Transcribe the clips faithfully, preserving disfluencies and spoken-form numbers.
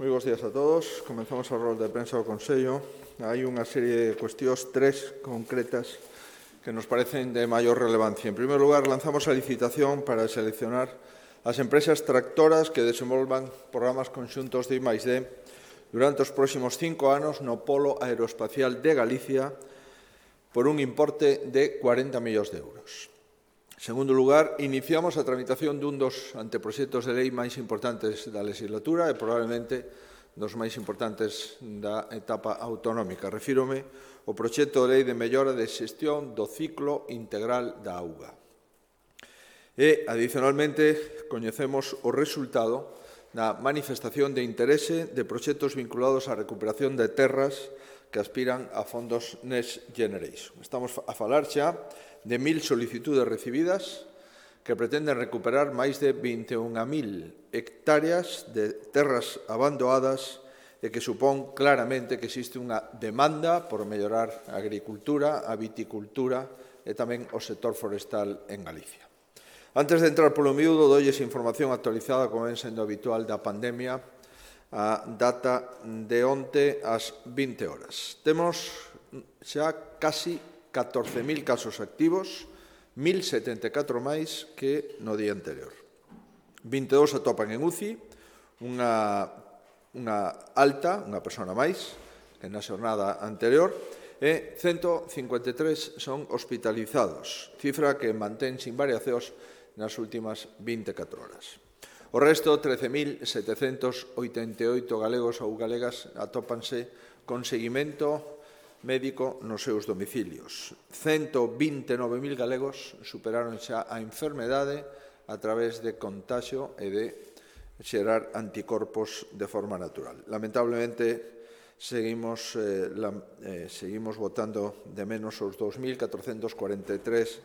Moi bons días a todos. Comenzamos a rolda de prensa do Consello. Hai unha serie de cuestións, tres concretas, que nos parecen de maior relevancia. En primeiro lugar, lanzamos a licitación para seleccionar as empresas tractoras que desenvolvan programas conxuntos de I máis D durante os próximos cinco anos no Polo Aeroespacial de Galicia por un importe de cuarenta millóns de euros. En segundo lugar, iniciamos a tramitación dun dos anteproxectos de lei máis importantes da legislatura e probablemente dos máis importantes da etapa autonómica. Refírome ao proxecto de lei de mellora de xestión do ciclo integral da auga. E, adicionalmente, coñecemos o resultado da manifestación de interese de proxectos vinculados á recuperación de terras que aspiran a fondos Next Generation. Estamos a falar xa de mil solicitudes recibidas que pretenden recuperar máis de vinte e unha mil hectáreas de terras abandonadas e que supón claramente que existe unha demanda por mellorar a agricultura, a viticultura e tamén o sector forestal en Galicia. Antes de entrar polo miúdo, doulles información actualizada, como ven sendo habitual, da pandemia a data de onte ás vinte horas. Temos xa casi catorce mil casos activos, mil setenta e catro máis que no día anterior. vinte e dous atopan en U C I, unha, unha alta, unha persona máis, que na xornada anterior, e cento cincuenta e tres son hospitalizados, cifra que mantén sin variacións nas últimas vinte e catro horas. O resto, trece mil setecentos oitenta e oito galegos ou galegas atópanse con seguimento médico nos seus domicilios. cento vinte e nove mil galegos superaron xa a enfermedade a través de contagio e de xerar anticorpos de forma natural. Lamentablemente, seguimos, eh, la, eh, seguimos votando de menos os dous mil catrocentos cuarenta e tres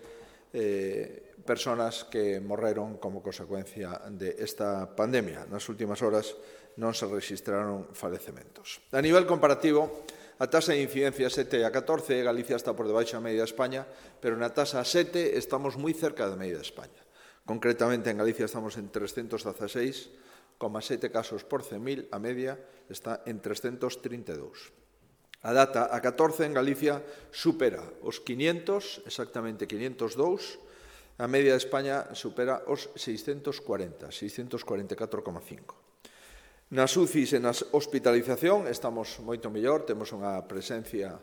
eh, personas que morreron como consecuencia desta pandemia. Nas últimas horas non se registraron falecementos. A nivel comparativo, a taxa de incidencia sete a catorce, Galicia está por debaixo da media de España, pero na taxa sete estamos moi cerca da media de España. Concretamente, en Galicia estamos en trescentos dieciséis coma sete casos por cen mil, a media está en trescentos trinta e dous. A data a catorce en Galicia supera os quinientos, exactamente quinientos dous, a media de España supera os seiscentos cuarenta, seiscentos cuarenta e catro coma cinco. Nas U C Is e nas hospitalización estamos moito mellor, temos unha presencia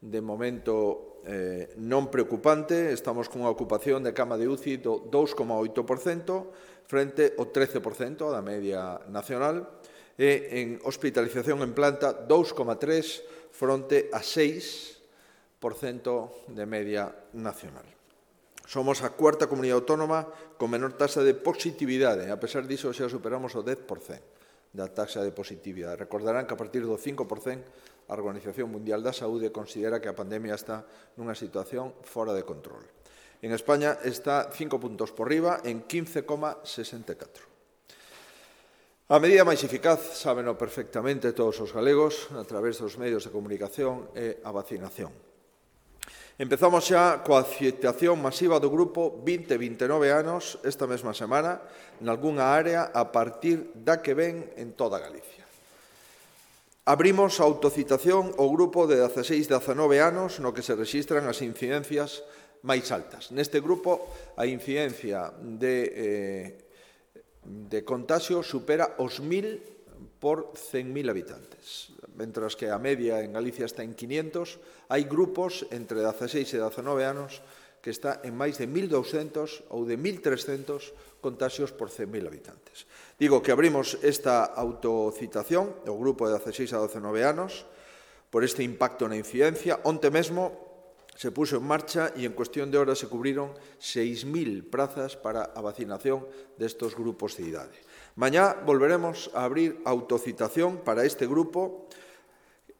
de momento eh, non preocupante, estamos cunha ocupación de cama de U C I do dous coma oito por cento frente ao trece por cento da media nacional e en hospitalización en planta dous coma tres fronte a seis por cento de media nacional. Somos a cuarta comunidade autónoma con menor taxa de positividade, a pesar diso xa superamos o dez por cento. Da taxa de positividade. Recordarán que a partir do cinco por cento a Organización Mundial da Saúde considera que a pandemia está nunha situación fora de control. En España está cinco puntos por riba en quince coma sesenta e catro. A medida máis eficaz, sábeno perfectamente todos os galegos, a través dos medios de comunicación, é a vacinación. Empezamos xa coa citación masiva do grupo vinte a vinte e nove anos esta mesma semana nalgúnha área a partir da que ven en toda Galicia. Abrimos a autocitación ao grupo de dezaseis a dezanove anos no que se rexistran as incidencias máis altas. Neste grupo a incidencia de, eh, de contagio supera os mil por cen mil habitantes. Mentras que a media en Galicia está en quinientos, hai grupos entre dezaseis e dezanove anos que está en máis de mil douscentos ou de mil trescentos contagios por cen mil habitantes. Digo que abrimos esta autocitación, o grupo de dezaseis a dezanove anos, por este impacto na incidencia. Onte mesmo se puxo en marcha e en cuestión de horas se cubriron seis mil prazas para a vacinación destes grupos de idade. Mañá volveremos a abrir autocitación para este grupo.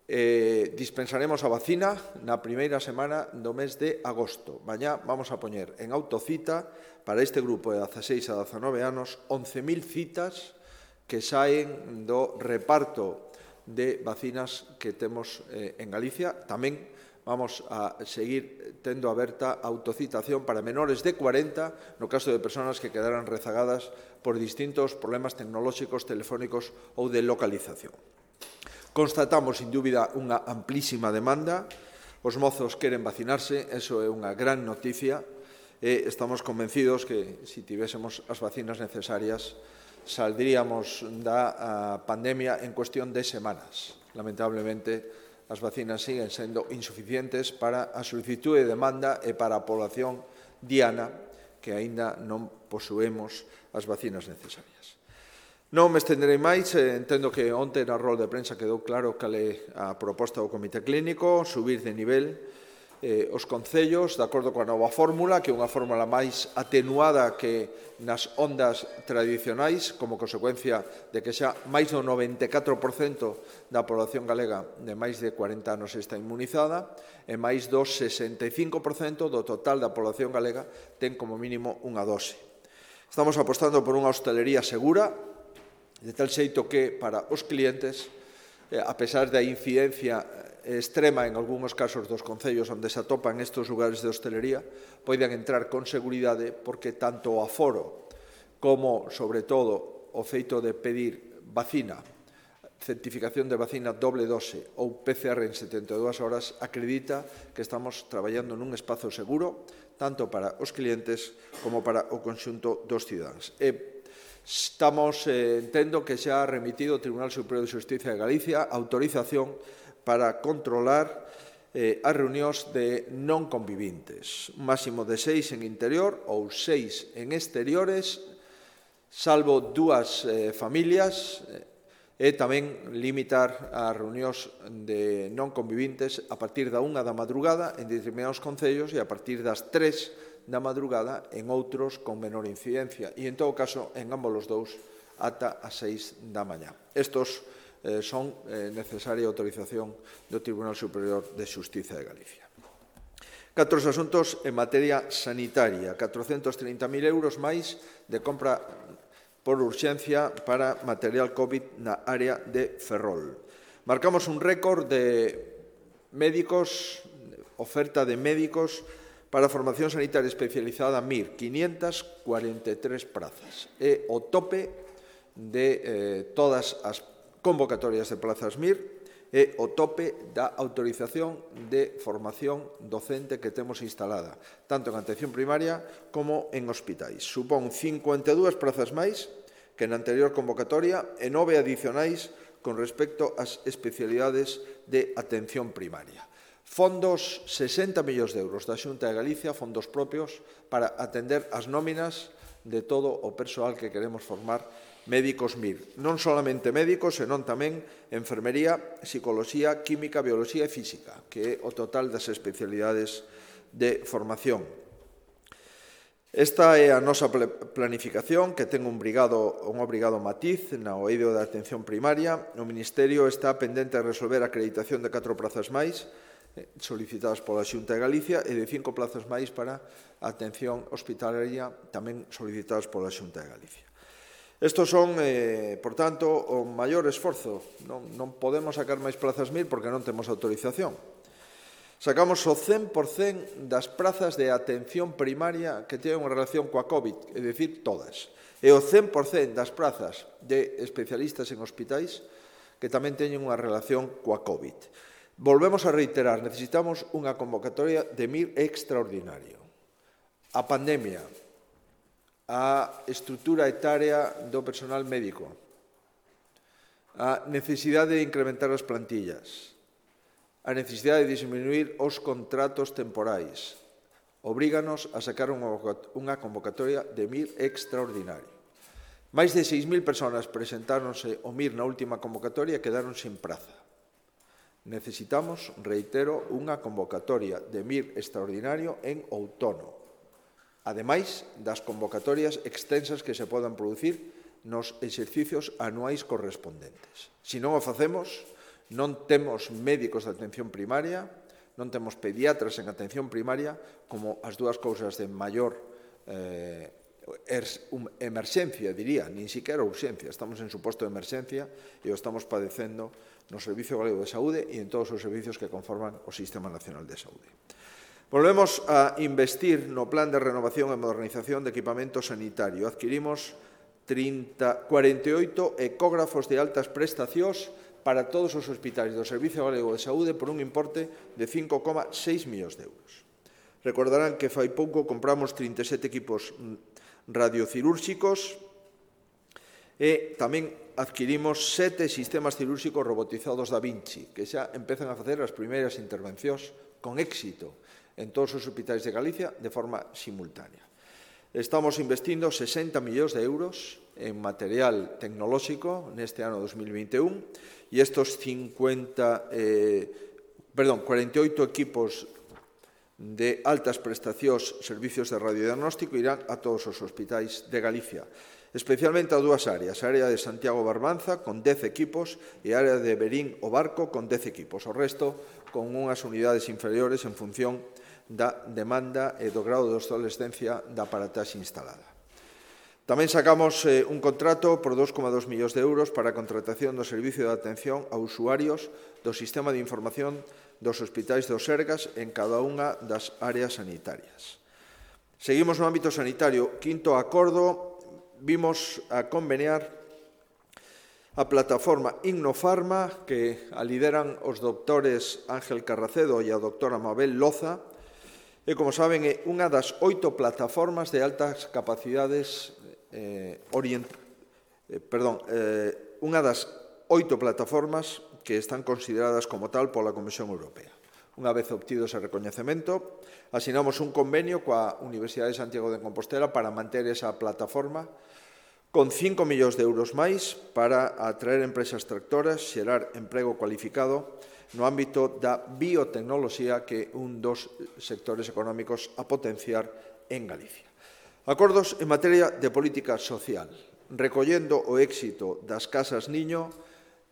Eh, dispensaremos a vacina na primeira semana do mes de agosto. Mañá vamos a poñer en autocita para este grupo de dezaseis a dezanove anos once mil citas que saen do reparto de vacinas que temos eh, en Galicia. Tamén vamos a seguir tendo aberta a autocitación para menores de cuarenta no caso de persoas que quedaran rezagadas por distintos problemas tecnolóxicos, telefónicos ou de localización. Constatamos, sin dúbida, unha amplísima demanda. Os mozos queren vacinarse, eso é unha gran noticia, e estamos convencidos que, se tivésemos as vacinas necesarias, saldríamos da pandemia en cuestión de semanas. Lamentablemente, as vacinas siguen sendo insuficientes para a solicitud de demanda e para a población diana que aínda non posuemos as vacinas necesarias. Non me estenderei máis, entendo que onte na rol de prensa quedou claro cal é a proposta do Comité Clínico, subir de nivel eh, os concellos, de acordo coa nova fórmula, que é unha fórmula máis atenuada que nas ondas tradicionais, como consecuencia de que xa máis do noventa e catro por cento da población galega de máis de cuarenta anos está inmunizada e máis do sesenta e cinco por cento do total da población galega ten como mínimo unha dose. Estamos apostando por unha hostalería segura, de tal xeito que para os clientes, a pesar da incidencia extrema en algúns casos dos concellos onde se atopan estes lugares de hostelería, poidan entrar con seguridade porque tanto o aforo como, sobre todo, o feito de pedir vacina, certificación de vacina doble dose ou P C R en setenta e dúas horas acredita que estamos traballando nun espazo seguro tanto para os clientes como para o conxunto dos cidadáns. E estamos, eh, entendo que xa ha remitido o Tribunal Superior de Xustiza de Galicia autorización para controlar eh, as reunións de non convivintes, un máximo de seis en interior ou seis en exteriores, salvo dúas eh, familias, e tamén limitar as reunións de non convivintes a partir da unha da madrugada en determinados concellos e a partir das tres da madrugada en outros con menor incidencia e, en todo caso, en ambos os dous ata as seis da mañá. Estos eh, son eh, necesaria autorización do Tribunal Superior de Xustiza de Galicia. Catro asuntos en materia sanitaria, catrocentos trinta mil euros máis de compra por urxencia para material COVID na área de Ferrol. Marcamos un récord de médicos, oferta de médicos para a formación sanitaria especializada M I R, quinientas cuarenta e tres prazas. É o tope de eh, todas as convocatorias de plazas M I R e o tope da autorización de formación docente que temos instalada, tanto en atención primaria como en hospitais. Supón cincuenta e dúas prazas máis que na anterior convocatoria e nove adicionais con respecto ás especialidades de atención primaria. Fondos, sesenta millóns de euros da Xunta de Galicia, fondos propios para atender as nóminas de todo o persoal que queremos formar médicos M I R. Non solamente médicos, senón tamén enfermería, psicoloxía, química, bioloxía e física, que é o total das especialidades de formación. Esta é a nosa planificación, que ten un obrigado, un obrigado matiz na O eido da atención primaria. O Ministerio está pendente de resolver a acreditación de catro plazas máis, solicitadas pola Xunta de Galicia, e de cinco plazas máis para a atención hospitalaria, tamén solicitadas pola Xunta de Galicia. Estos son, eh, por tanto, o maior esforzo. Non, non podemos sacar máis plazas M I R porque non temos autorización. Sacamos o cen por cento das prazas de atención primaria que teñen relación coa COVID, é dicir, todas. E o cen por cento das prazas de especialistas en hospitais que tamén teñen unha relación coa COVID. Volvemos a reiterar, necesitamos unha convocatoria de M I R extraordinario. A pandemia, a estrutura etaria do personal médico, a necesidade de incrementar as plantillas, a necesidade de disminuir os contratos temporais, obríganos a sacar unha convocatoria de M I R extraordinario. Máis de seis mil persoas presentáronse ao M I R na última convocatoria e quedaron sin praza. Necesitamos, reitero, unha convocatoria de M I R extraordinario en outono, ademais das convocatorias extensas que se podan producir nos exercicios anuais correspondentes. Se non o facemos, non temos médicos de atención primaria, non temos pediatras en atención primaria, como as dúas cousas de maior eh, emerxencia, diría, nin siquiera urxencia. Estamos en suposto de emerxencia e o estamos padecendo no Servicio Galego de Saúde e en todos os servicios que conforman o Sistema Nacional de Saúde. Volvemos a investir no Plan de Renovación e Modernización de Equipamento Sanitario. Adquirimos cuarenta e oito ecógrafos de altas prestacións para todos os hospitais do Servicio Galego de Saúde por un importe de cinco coma seis millóns de euros. Recordarán que fai pouco compramos trinta e sete equipos radiocirúrxicos e tamén adquirimos sete sistemas cirúrxicos robotizados Da Vinci, que xa empezan a facer as primeiras intervencións con éxito en todos os hospitais de Galicia de forma simultánea. Estamos investindo sesenta millóns de euros en material tecnolóxico neste ano dos mil vinte e un e estos cincuenta, eh, perdón, cuarenta e oito equipos de altas prestacións servicios de radiodiagnóstico irán a todos os hospitais de Galicia, especialmente a dúas áreas, a área de Santiago Barbanza con dez equipos e a área de Berín o Barco con dez equipos, o resto con unhas unidades inferiores en función da demanda e do grado de obsolescencia da aparataxe instalada. Tamén sacamos eh, un contrato por dos coma dos millóns de euros para a contratación do servicio de atención a usuarios do sistema de información dos hospitais do Sergas en cada unha das áreas sanitarias. Seguimos no ámbito sanitario. Quinto acordo, vimos a conveniar a plataforma Innofarma, que a lideran os doutores Ángel Carracedo e a doutora Mabel Loza, e, como saben, é unha das oito plataformas de altas capacidades eh, orient... eh, perdón, eh, unha das oito plataformas que están consideradas como tal pola Comisión Europea. Unha vez obtido ese recoñecemento, asinamos un convenio coa Universidade de Santiago de Compostela para manter esa plataforma con cinco millóns de euros máis para atraer empresas tractoras, xerar emprego cualificado no ámbito da biotecnoloxía, que é un dos sectores económicos a potenciar en Galicia. Acordos en materia de política social. Recollendo o éxito das casas niño,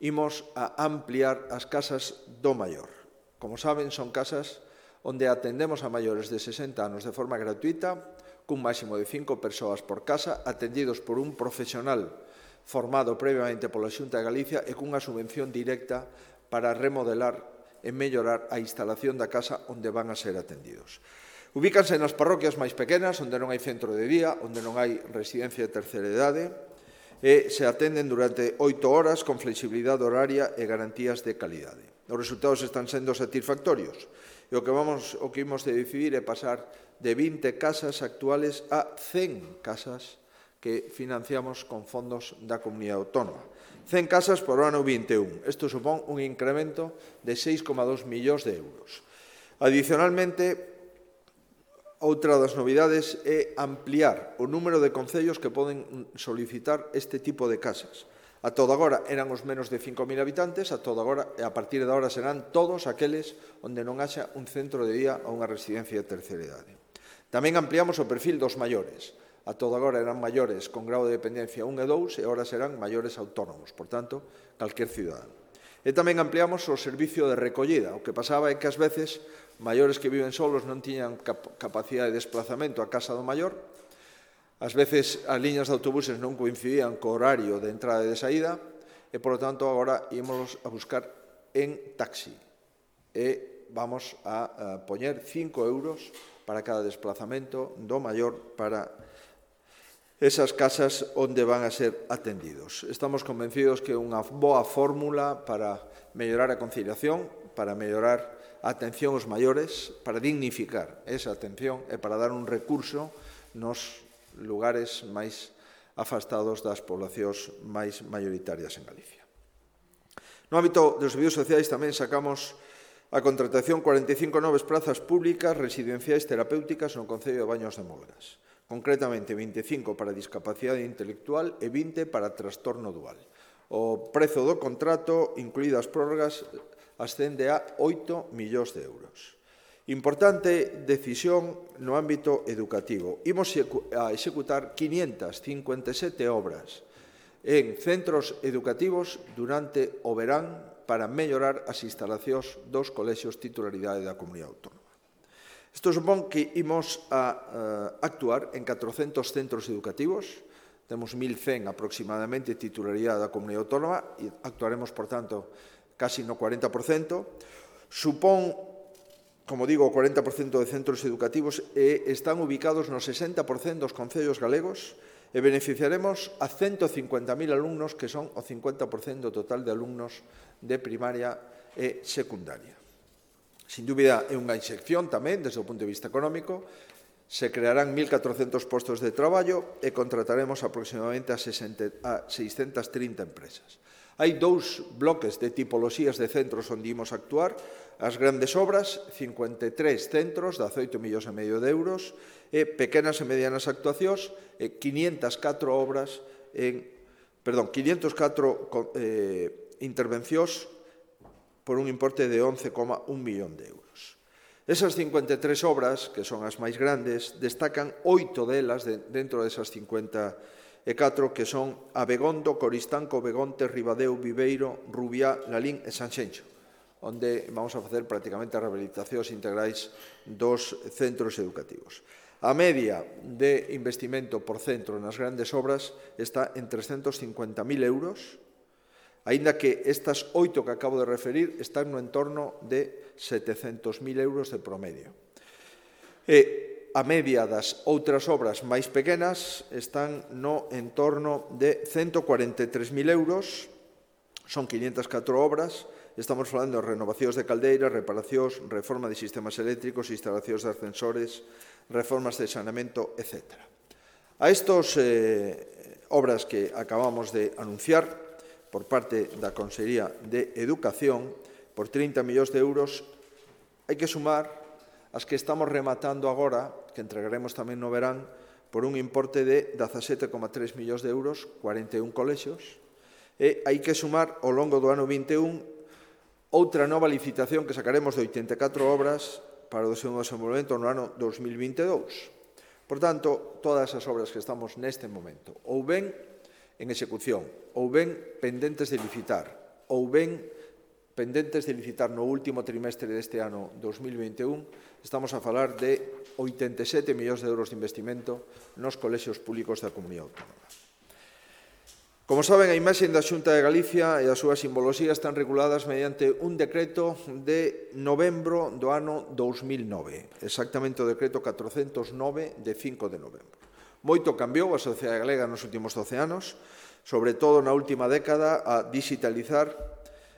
imos a ampliar as casas do maior. Como saben, son casas onde atendemos a maiores de sesenta anos de forma gratuita, cun máximo de cinco persoas por casa, atendidos por un profesional formado previamente pola Xunta de Galicia e cunha subvención directa para remodelar e mellorar a instalación da casa onde van a ser atendidos. Ubícanse nas parroquias máis pequenas, onde non hai centro de día, onde non hai residencia de terceira idade, e se atenden durante oito horas con flexibilidade horaria e garantías de calidade. Os resultados están sendo satisfactorios e o que vamos o que imos de decidir é pasar de vinte casas actuales a cen casas que financiamos con fondos da Comunidade Autónoma. cen casas por ano vinte e un. Isto supón un incremento de seis coma dos millóns de euros. Adicionalmente, outra das novidades é ampliar o número de concellos que poden solicitar este tipo de casas. A todo agora eran os menos de cinco mil habitantes, a todo agora e a partir de agora serán todos aqueles onde non haxa un centro de día ou unha residencia de terceira idade. Tamén ampliamos o perfil dos maiores. A todo agora eran maiores con grado de dependencia un e dous e agora serán maiores autónomos, por tanto, calquer cidadano. E tamén ampliamos o servicio de recollida. O que pasaba é que ás veces maiores que viven solos non tiñan cap capacidade de desplazamento á casa do maior, ás veces as liñas de autobuses non coincidían co horario de entrada e de saída e, por lo tanto, agora ímolos a buscar en taxi e vamos a, a poñer cinco euros para cada desplazamento do maior para esas casas onde van a ser atendidos. Estamos convencidos que é unha boa fórmula para mellorar a conciliación, para mellorar a atención aos maiores, para dignificar esa atención e para dar un recurso nos lugares máis afastados das poblacións máis maioritarias en Galicia. No ámbito dos servicios sociais tamén sacamos a contratación cuarenta e cinco novas prazas públicas residenciais terapéuticas no Concello de Baños de Molgas. Concretamente, vinte e cinco para discapacidade intelectual e vinte para trastorno dual. O prezo do contrato, incluídas prórrogas, ascende a oito millóns de euros. Importante decisión no ámbito educativo. Imos a executar quinientas cincuenta e sete obras en centros educativos durante o verán para mellorar as instalacións dos colexios titularidade da Comunidade Autónoma. Isto supón que imos a uh, actuar en catrocentos centros educativos, temos mil cen aproximadamente titularidade da Comunidade Autónoma e actuaremos, por tanto, casi no cuarenta por cento. Supón, como digo, o cuarenta por cento de centros educativos e están ubicados no sesenta por cento dos concellos galegos e beneficiaremos a ciento cincuenta mil alumnos, que son o cincuenta por cento total de alumnos de primaria e secundaria. Sin dúbida, é unha inxección tamén, desde o punto de vista económico. Se crearán mil catrocentos postos de traballo e contrataremos aproximadamente a seiscentas trinta empresas. Hai dous bloques de tipoloxías de centros onde imos actuar. As grandes obras, cincuenta e tres centros, dezaoito millóns e medio de euros, e pequenas e medianas actuacións, e quinientas catro obras en, perdón, quinientas catro eh, intervencións por un importe de once coma un millón de euros. Esas cincuenta e tres obras, que son as máis grandes, destacan oito delas de, dentro desas cincuenta e catro, que son Abegondo, Coristanco, Begonte, Ribadeo, Viveiro, Rubiá, Lalín e Sanxenxo, onde vamos a facer prácticamente as rehabilitacións integrais dos centros educativos. A media de investimento por centro nas grandes obras está en trescentos cincuenta mil euros, aínda que estas oito que acabo de referir están no entorno de setecentos mil euros de promedio. E a media das outras obras máis pequenas están no entorno de ciento cuarenta e tres mil euros, son quinientas catro obras, estamos falando de renovacións de caldeiras, reparacións, reforma de sistemas eléctricos, instalacións de ascensores, reformas de saneamento, etcétera. A estas eh, obras que acabamos de anunciar por parte da Consellería de Educación, por trinta millóns de euros, hai que sumar as que estamos rematando agora, que entregaremos tamén no verán, por un importe de dezasete coma tres millóns de euros, cuarenta e un colexios, e hai que sumar ao longo do ano vinte e un outra nova licitación que sacaremos de oitenta e catro obras para o seu desenvolvemento no ano dos mil vinte e dous. Por tanto, todas as obras que estamos neste momento, ou ben en execución, ou ben pendentes de licitar, ou ben pendentes de licitar no último trimestre deste ano dos mil vinte e un, estamos a falar de oitenta e sete millóns de euros de investimento nos colexios públicos da Comunidade Autónoma. Como saben, a imaxe da Xunta de Galicia e a súa simboloxía están reguladas mediante un decreto de novembro do ano dous mil nove, exactamente o decreto catrocentos nove de cinco de novembro. Moito cambiou a sociedade galega nos últimos doce anos, sobre todo na última década, a digitalizar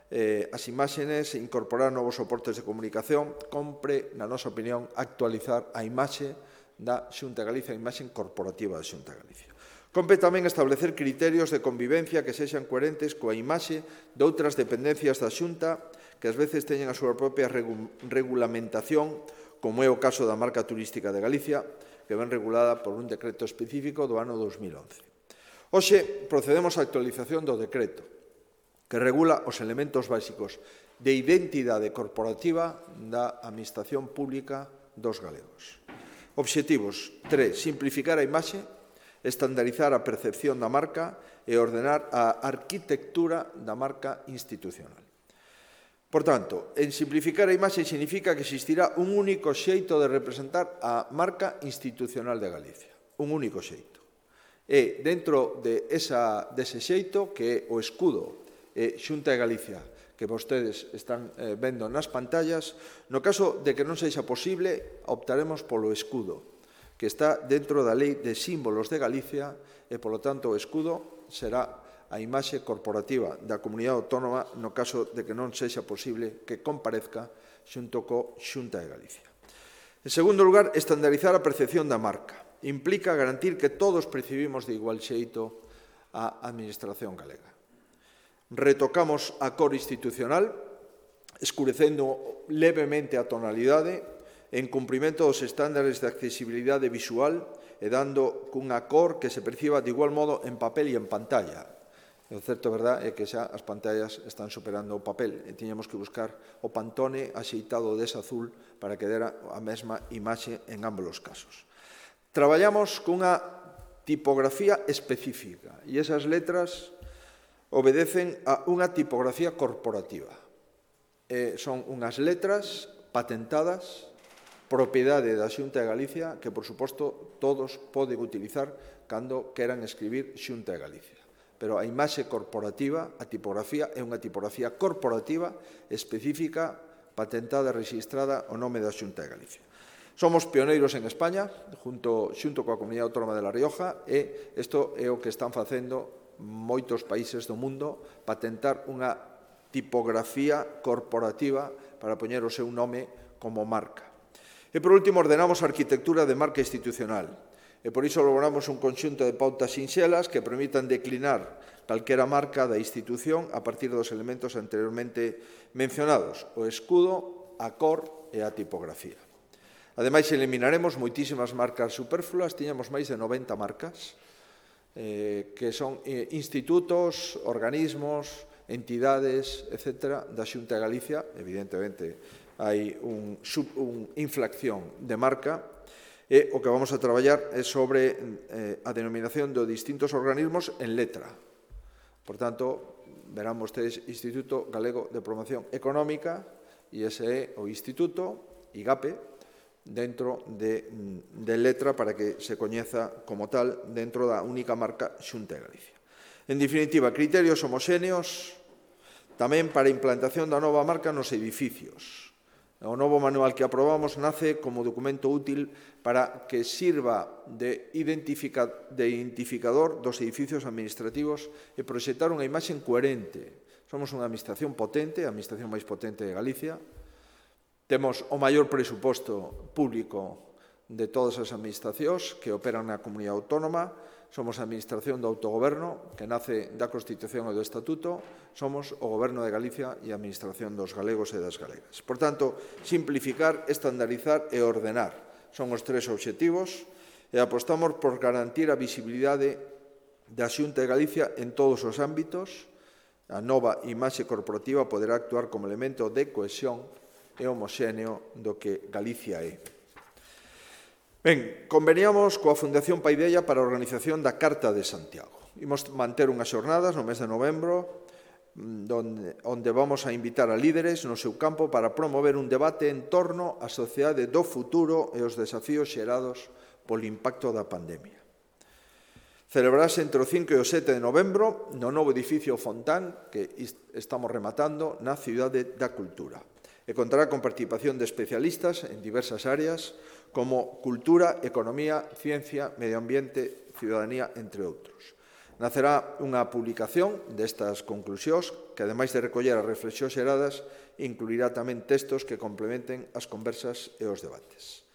eh, as imaxes e incorporar novos soportes de comunicación. Compre, na nosa opinión, actualizar a imaxe da Xunta de Galicia, a imaxe corporativa da Xunta de Galicia. Compre tamén establecer criterios de convivencia que sexan coherentes coa imaxe de outras dependencias da Xunta que ás veces teñen a súa propia regu regulamentación, como é o caso da marca turística de Galicia, que ven regulada por un decreto específico do ano dos mil once. Hoxe procedemos á actualización do decreto, que regula os elementos básicos de identidade corporativa da Administración Pública dos galegos. Obxectivos: tres. Simplificar a imaxe, estandarizar a percepción da marca e ordenar a arquitectura da marca institucional. Por tanto, en simplificar a imaxe significa que existirá un único xeito de representar a marca institucional de Galicia. Un único xeito. E dentro de esa, dese xeito, que é o escudo e Xunta de Galicia, que vostedes están eh, vendo nas pantallas, no caso de que non sexa posible, optaremos polo escudo, que está dentro da Lei de Símbolos de Galicia e, polo tanto, o escudo será a imaxe corporativa da Comunidade Autónoma no caso de que non sexa posible que comparezca xunto co Xunta de Galicia. En segundo lugar, estandarizar a percepción da marca. Implica garantir que todos percibimos de igual xeito a Administración galega. Retocamos a cor institucional, escurecendo levemente a tonalidade, en cumprimento dos estándares de accesibilidade visual e dando cunha cor que se perciba de igual modo en papel e en pantalla. O certo, verdad, é que xa as pantallas están superando o papel e tiñamos que buscar o Pantone axeitado dese azul para que dera a mesma imaxe en ambos os casos. Traballamos cunha tipografía específica e esas letras obedecen a unha tipografía corporativa. Eh, son unhas letras patentadas propiedade da Xunta de Galicia que, por suposto, todos poden utilizar cando queran escribir Xunta de Galicia. Pero a imaxe corporativa, a tipografía, é unha tipografía corporativa específica, patentada e registrada o nome da Xunta de Galicia. Somos pioneiros en España, junto, xunto coa Comunidade Autónoma de La Rioja, e isto é o que están facendo moitos países do mundo, patentar unha tipografía corporativa para poñer o seu nome como marca. E, por último, ordenamos a arquitectura de marca institucional. E, por iso, logramos un conxunto de pautas sinxelas que permitan declinar calquera marca da institución a partir dos elementos anteriormente mencionados, o escudo, a cor e a tipografía. Ademais, eliminaremos moitísimas marcas superfluas, tiñamos máis de noventa marcas, eh, que son eh, institutos, organismos, entidades, etcétera, da Xunta de Galicia. Evidentemente, hai un, un inflación de marca, e o que vamos a traballar é sobre eh, a denominación de distintos organismos en letra. Por tanto, verán vostedes Instituto Galego de Promoción Económica, e ese é o Instituto, IGAPE, dentro de, de letra para que se coñeza como tal dentro da única marca Xunta de Galicia. En definitiva, criterios homoxéneos tamén para a implantación da nova marca nos edificios. O novo manual que aprobamos nace como documento útil para que sirva de, identifica, de identificador dos edificios administrativos e proxectar unha imaxe coherente. Somos unha administración potente, a administración máis potente de Galicia. Temos o maior presuposto público de todas as administracións que operan na comunidade autónoma. Somos a administración do autogoberno, que nace da Constitución e do Estatuto. Somos o Goberno de Galicia e a administración dos galegos e das galegas. Por tanto, simplificar, estandarizar e ordenar son os tres obxectivos, e apostamos por garantir a visibilidade da Xunta de Galicia en todos os ámbitos. A nova imaxe corporativa poderá actuar como elemento de cohesión e homoxéneo do que Galicia é. Ben, conveniamos coa Fundación Paideia para a organización da Carta de Santiago. Imos manter unhas xornadas no mes de novembro onde, onde vamos a invitar a líderes no seu campo para promover un debate en torno á sociedade do futuro e os desafíos xerados polo impacto da pandemia. Celebrarase entre o cinco e o sete de novembro no novo edificio Fontán que estamos rematando na Cidade da Cultura e contará con participación de especialistas en diversas áreas como cultura, economía, ciencia, medio ambiente, ciudadanía, entre outros. Nacerá unha publicación destas conclusións que, ademais de recoller as reflexións xeradas, incluirá tamén textos que complementen as conversas e os debates.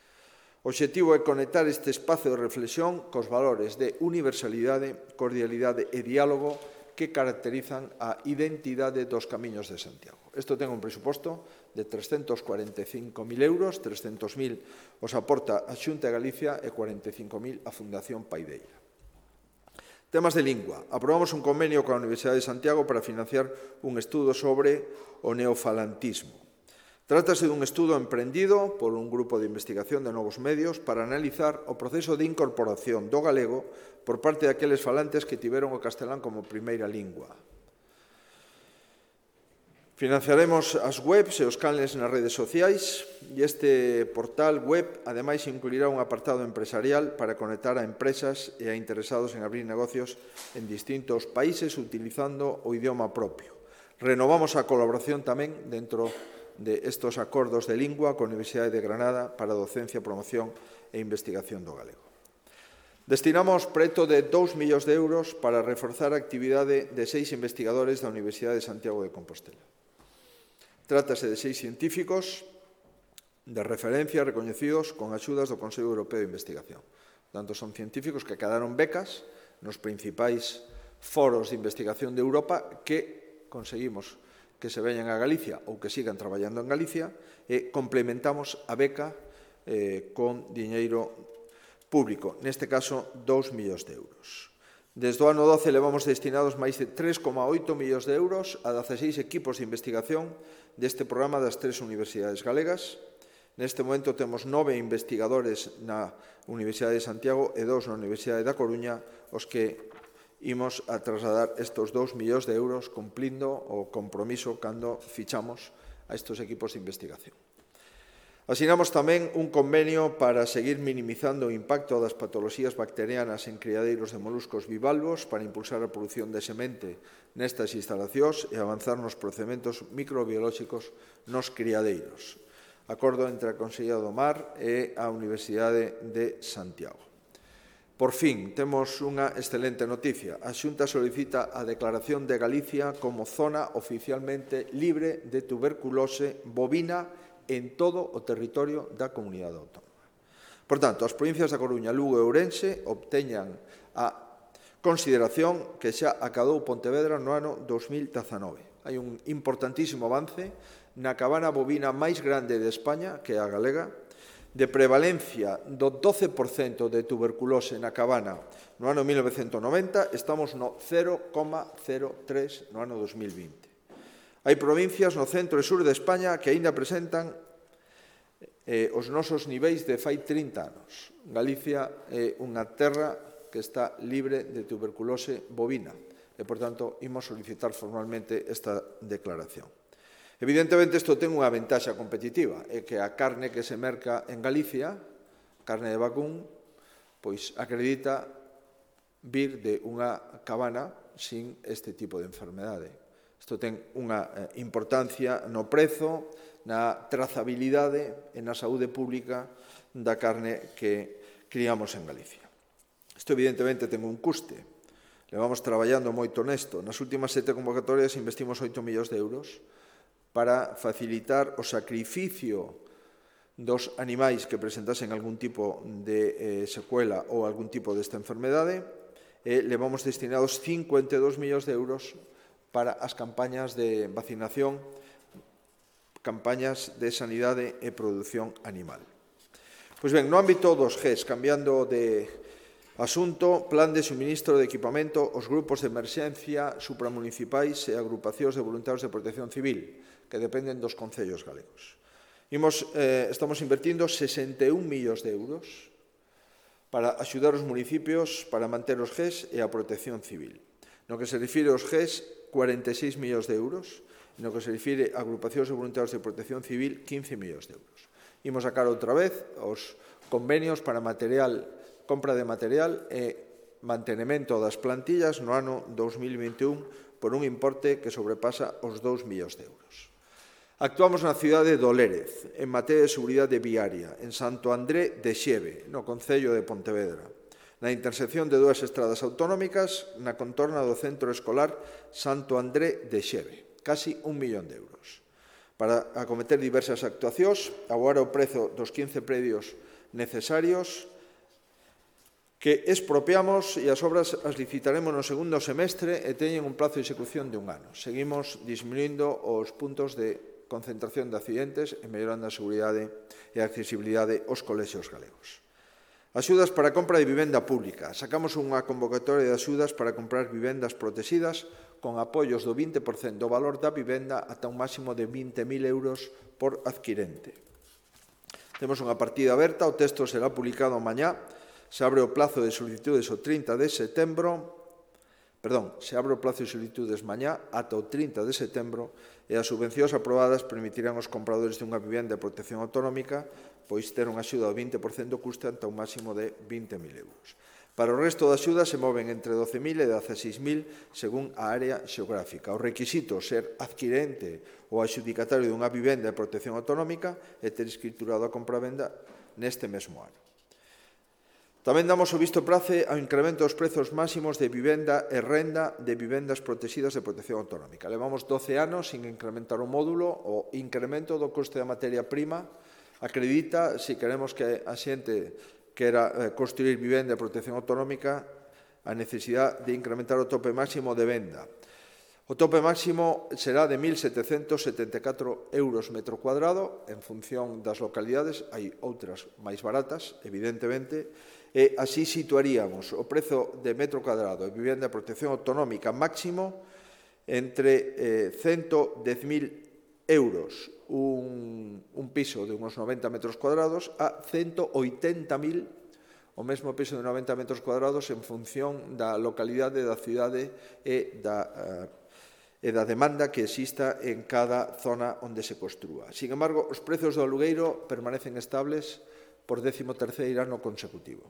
O obxectivo é conectar este espazo de reflexión cos valores de universalidade, cordialidade e diálogo que caracterizan a identidade dos Camiños de Santiago. Isto ten un presuposto de trescentos cuarenta e cinco mil euros, trescentos mil os aporta a Xunta de Galicia e cuarenta e cinco mil a Fundación Paideia. Temas de lingua. Aprobamos un convenio coa Universidade de Santiago para financiar un estudo sobre o neofalantismo. Trátase dun estudo emprendido por un grupo de investigación de novos medios para analizar o proceso de incorporación do galego por parte daqueles falantes que tiveron o castelán como primeira lingua. Financiaremos as webs e os canles nas redes sociais e este portal web, ademais, incluirá un apartado empresarial para conectar a empresas e a interesados en abrir negocios en distintos países utilizando o idioma propio. Renovamos a colaboración tamén dentro de estos acordos de lingua coa Universidade de Granada para docencia, promoción e investigación do galego. Destinamos preto de dous millóns de euros para reforzar a actividade de seis investigadores da Universidade de Santiago de Compostela. Trátase de seis científicos de referencia recoñecidos con axudas do Consello Europeo de Investigación. Tanto son científicos que acabaron becas nos principais foros de investigación de Europa que conseguimos que se veñan a Galicia ou que sigan traballando en Galicia e complementamos a beca eh, con diñeiro público, neste caso, dous millóns de euros. Desde o ano doce levamos destinados máis de tres coma oito millóns de euros a dezaseis equipos de investigación deste programa das tres universidades galegas. Neste momento temos nove investigadores na Universidade de Santiago e dous na Universidade da Coruña, os que imos a trasladar estes dous millóns de euros cumplindo o compromiso cando fichamos a estes equipos de investigación. Asinamos tamén un convenio para seguir minimizando o impacto das patoloxías bacterianas en criadeiros de moluscos bivalvos para impulsar a produción de semente nestas instalacións e avanzar nos procedementos microbiolóxicos nos criadeiros. Acordo entre a Consellería do Mar e a Universidade de Santiago. Por fin, temos unha excelente noticia. A Xunta solicita a declaración de Galicia como zona oficialmente libre de tuberculose bovina en todo o territorio da comunidade autónoma. Por tanto, as provincias da Coruña, Lugo e Ourense obteñan a consideración que xa acadou Pontevedra no ano dos mil dezanove. Hai un importantísimo avance na cabana bovina máis grande de España, que é a galega, de prevalencia do doce por cento de tuberculose na cabana no ano mil novecentos noventa, estamos no cero coma cero tres no ano dos mil vinte. Hai provincias no centro e sur de España que aínda presentan eh, os nosos niveis de fai trinta anos. Galicia é unha terra que está libre de tuberculose bovina e, por tanto, imos solicitar formalmente esta declaración. Evidentemente, isto ten unha ventaxa competitiva, é que a carne que se merca en Galicia, carne de vacún, pois acredita vir de unha cabana sin este tipo de enfermedade. Isto ten unha importancia no prezo, na trazabilidade e na saúde pública da carne que criamos en Galicia. Isto, evidentemente, ten un custe. Levamos traballando moito nesto. Nas últimas sete convocatorias investimos oito millóns de euros para facilitar o sacrificio dos animais que presentasen algún tipo de eh, secuela ou algún tipo desta enfermedade. E levamos destinados cincuenta e dous millóns de euros para as campañas de vacinación, campañas de sanidade e produción animal. Pois ben, no ámbito dos G E S, cambiando de asunto, plan de suministro de equipamento aos grupos de emerxencia supramunicipais e agrupacións de voluntarios de protección civil, que dependen dos concellos galegos. Imos, eh, estamos invertindo sesenta e un millóns de euros para axudar os municipios para manter os G E S e a protección civil. No que se refire aos G E S, cuarenta e seis millóns de euros, e no que se refire a agrupacións de voluntarios de protección civil, quince millóns de euros. Imos sacar outra vez os convenios para material, compra de material e mantenimento das plantillas no ano dos mil vinte e un por un importe que sobrepasa os dous millóns de euros. Actuamos na cidade do Lérez, en materia de seguridade viaria, en Santo André de Xeve, no concello de Pontevedra, na intersección de dúas estradas autonómicas na contorna do centro escolar Santo André de Xeve, casi un millón de euros. Para acometer diversas actuacións, abogar o prezo dos quince predios necesarios que expropiamos e as obras as licitaremos no segundo semestre e teñen un plazo de execución de un ano. Seguimos disminuindo os puntos de concentración de accidentes e mellorando a seguridade e a accesibilidade aos colexios galegos. Axudas para a compra de vivenda pública. Sacamos unha convocatoria de axudas para comprar vivendas protegidas con apoios do vinte por cento do valor da vivenda ata un máximo de vinte mil euros por adquirente. Temos unha partida aberta, o texto será publicado mañá. Se abre o plazo de solicitudes o trinta de setembro, perdón, se abre o plazo de solicitudes mañá ata o trinta de setembro e as subvencións aprobadas permitirán aos compradores dunha vivenda de protección autonómica pois ter unha axuda do vinte por cento do custe ata un máximo de vinte mil euros. Para o resto da axuda se moven entre doce mil e dezaseis mil según a área xeográfica. O requisito ser adquirente ou adxudicatario dunha vivenda de protección autonómica e ter escriturado a compravenda neste mesmo ano. Tamén damos o visto prace ao incremento dos prezos máximos de vivenda e renda de vivendas protegidas de protección autonómica. Levamos doce anos sin incrementar o módulo. O incremento do coste da materia prima acredita, se queremos que a xente quera construir vivenda de protección autonómica, a necesidade de incrementar o tope máximo de venda. O tope máximo será de mil setecentos setenta e catro euros metro cuadrado, en función das localidades, hai outras máis baratas, evidentemente, e así situaríamos o prezo de metro cuadrado de vivenda de protección autonómica máximo entre eh, ciento dez mil euros un, un piso de unos noventa metros cuadrados a ciento oitenta mil o mesmo piso de noventa metros cuadrados en función da localidade, da cidade e da, uh, e da demanda que exista en cada zona onde se construa. Sin embargo, os prezos do alugueiro permanecen estables por décimo terceiro ano consecutivo.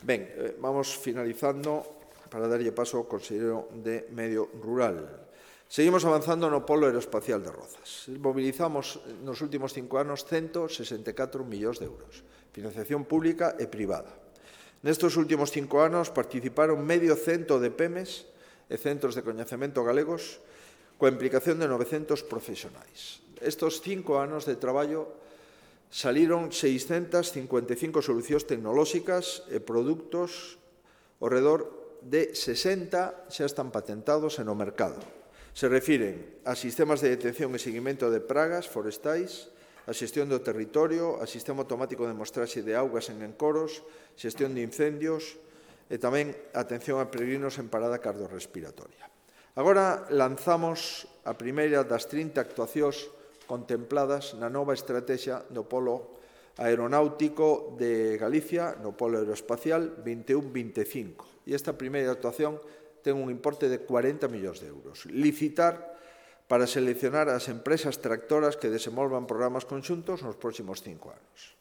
Ben, eh, vamos finalizando para darlle paso ao conselleiro de Medio Rural. Seguimos avanzando no polo aeroespacial de Rozas. Mobilizamos nos últimos cinco anos ciento sesenta e catro millóns de euros, financiación pública e privada. Nestes últimos cinco anos participaron medio cento de P E M Es e centros de coñecemento galegos coa implicación de novecentos profesionais. Estes cinco anos de traballo saliron seiscentas cincuenta e cinco solucións tecnolóxicas e produtos ao redor de sesenta xa están patentados e no mercado. Se refiren a sistemas de detección e seguimento de pragas forestais, a xestión do territorio, a sistema automático de mostraxe de augas en encoros, xestión de incendios e tamén atención a peregrinos en parada cardiorrespiratoria. Agora lanzamos a primeira das trinta actuacións contempladas na nova estrategia do polo aeronáutico de Galicia, no polo aeroespacial vinte e un vinte e cinco. E esta primeira actuación ten un importe de cuarenta millóns de euros. Licitar para seleccionar as empresas tractoras que desenvolvan programas conxuntos nos próximos cinco anos.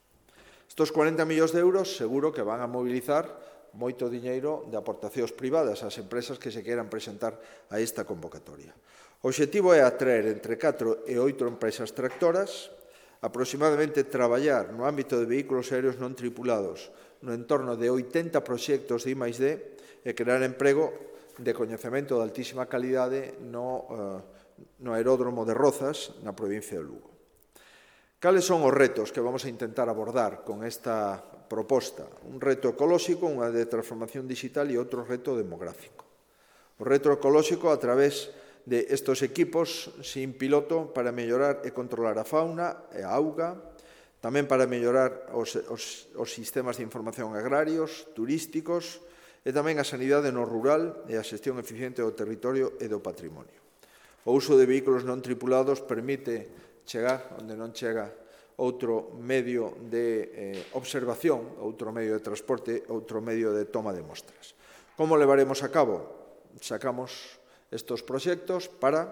Estos cuarenta millóns de euros seguro que van a mobilizar moito diñeiro de aportacións privadas ás empresas que se queran presentar a esta convocatoria. O obxectivo é atraer entre catro e oito empresas tractoras, aproximadamente traballar no ámbito de vehículos aéreos non tripulados no entorno de oitenta proxectos de I máis D e crear emprego de coñecemento de altísima calidade no, uh, no aeródromo de Rozas, na provincia de Lugo. Cales son os retos que vamos a intentar abordar con esta proposta? Un reto ecolóxico, unha de transformación digital e outro reto demográfico. O reto ecolóxico a través de estos equipos sin piloto para mellorar e controlar a fauna e a auga, tamén para mellorar os, os, os sistemas de información agrarios, turísticos e tamén a sanidade no rural e a xestión eficiente do territorio e do patrimonio. O uso de vehículos non tripulados permite chegar onde non chega outro medio de eh, observación, outro medio de transporte, outro medio de toma de mostras. Como levaremos a cabo? Sacamos estes proxectos para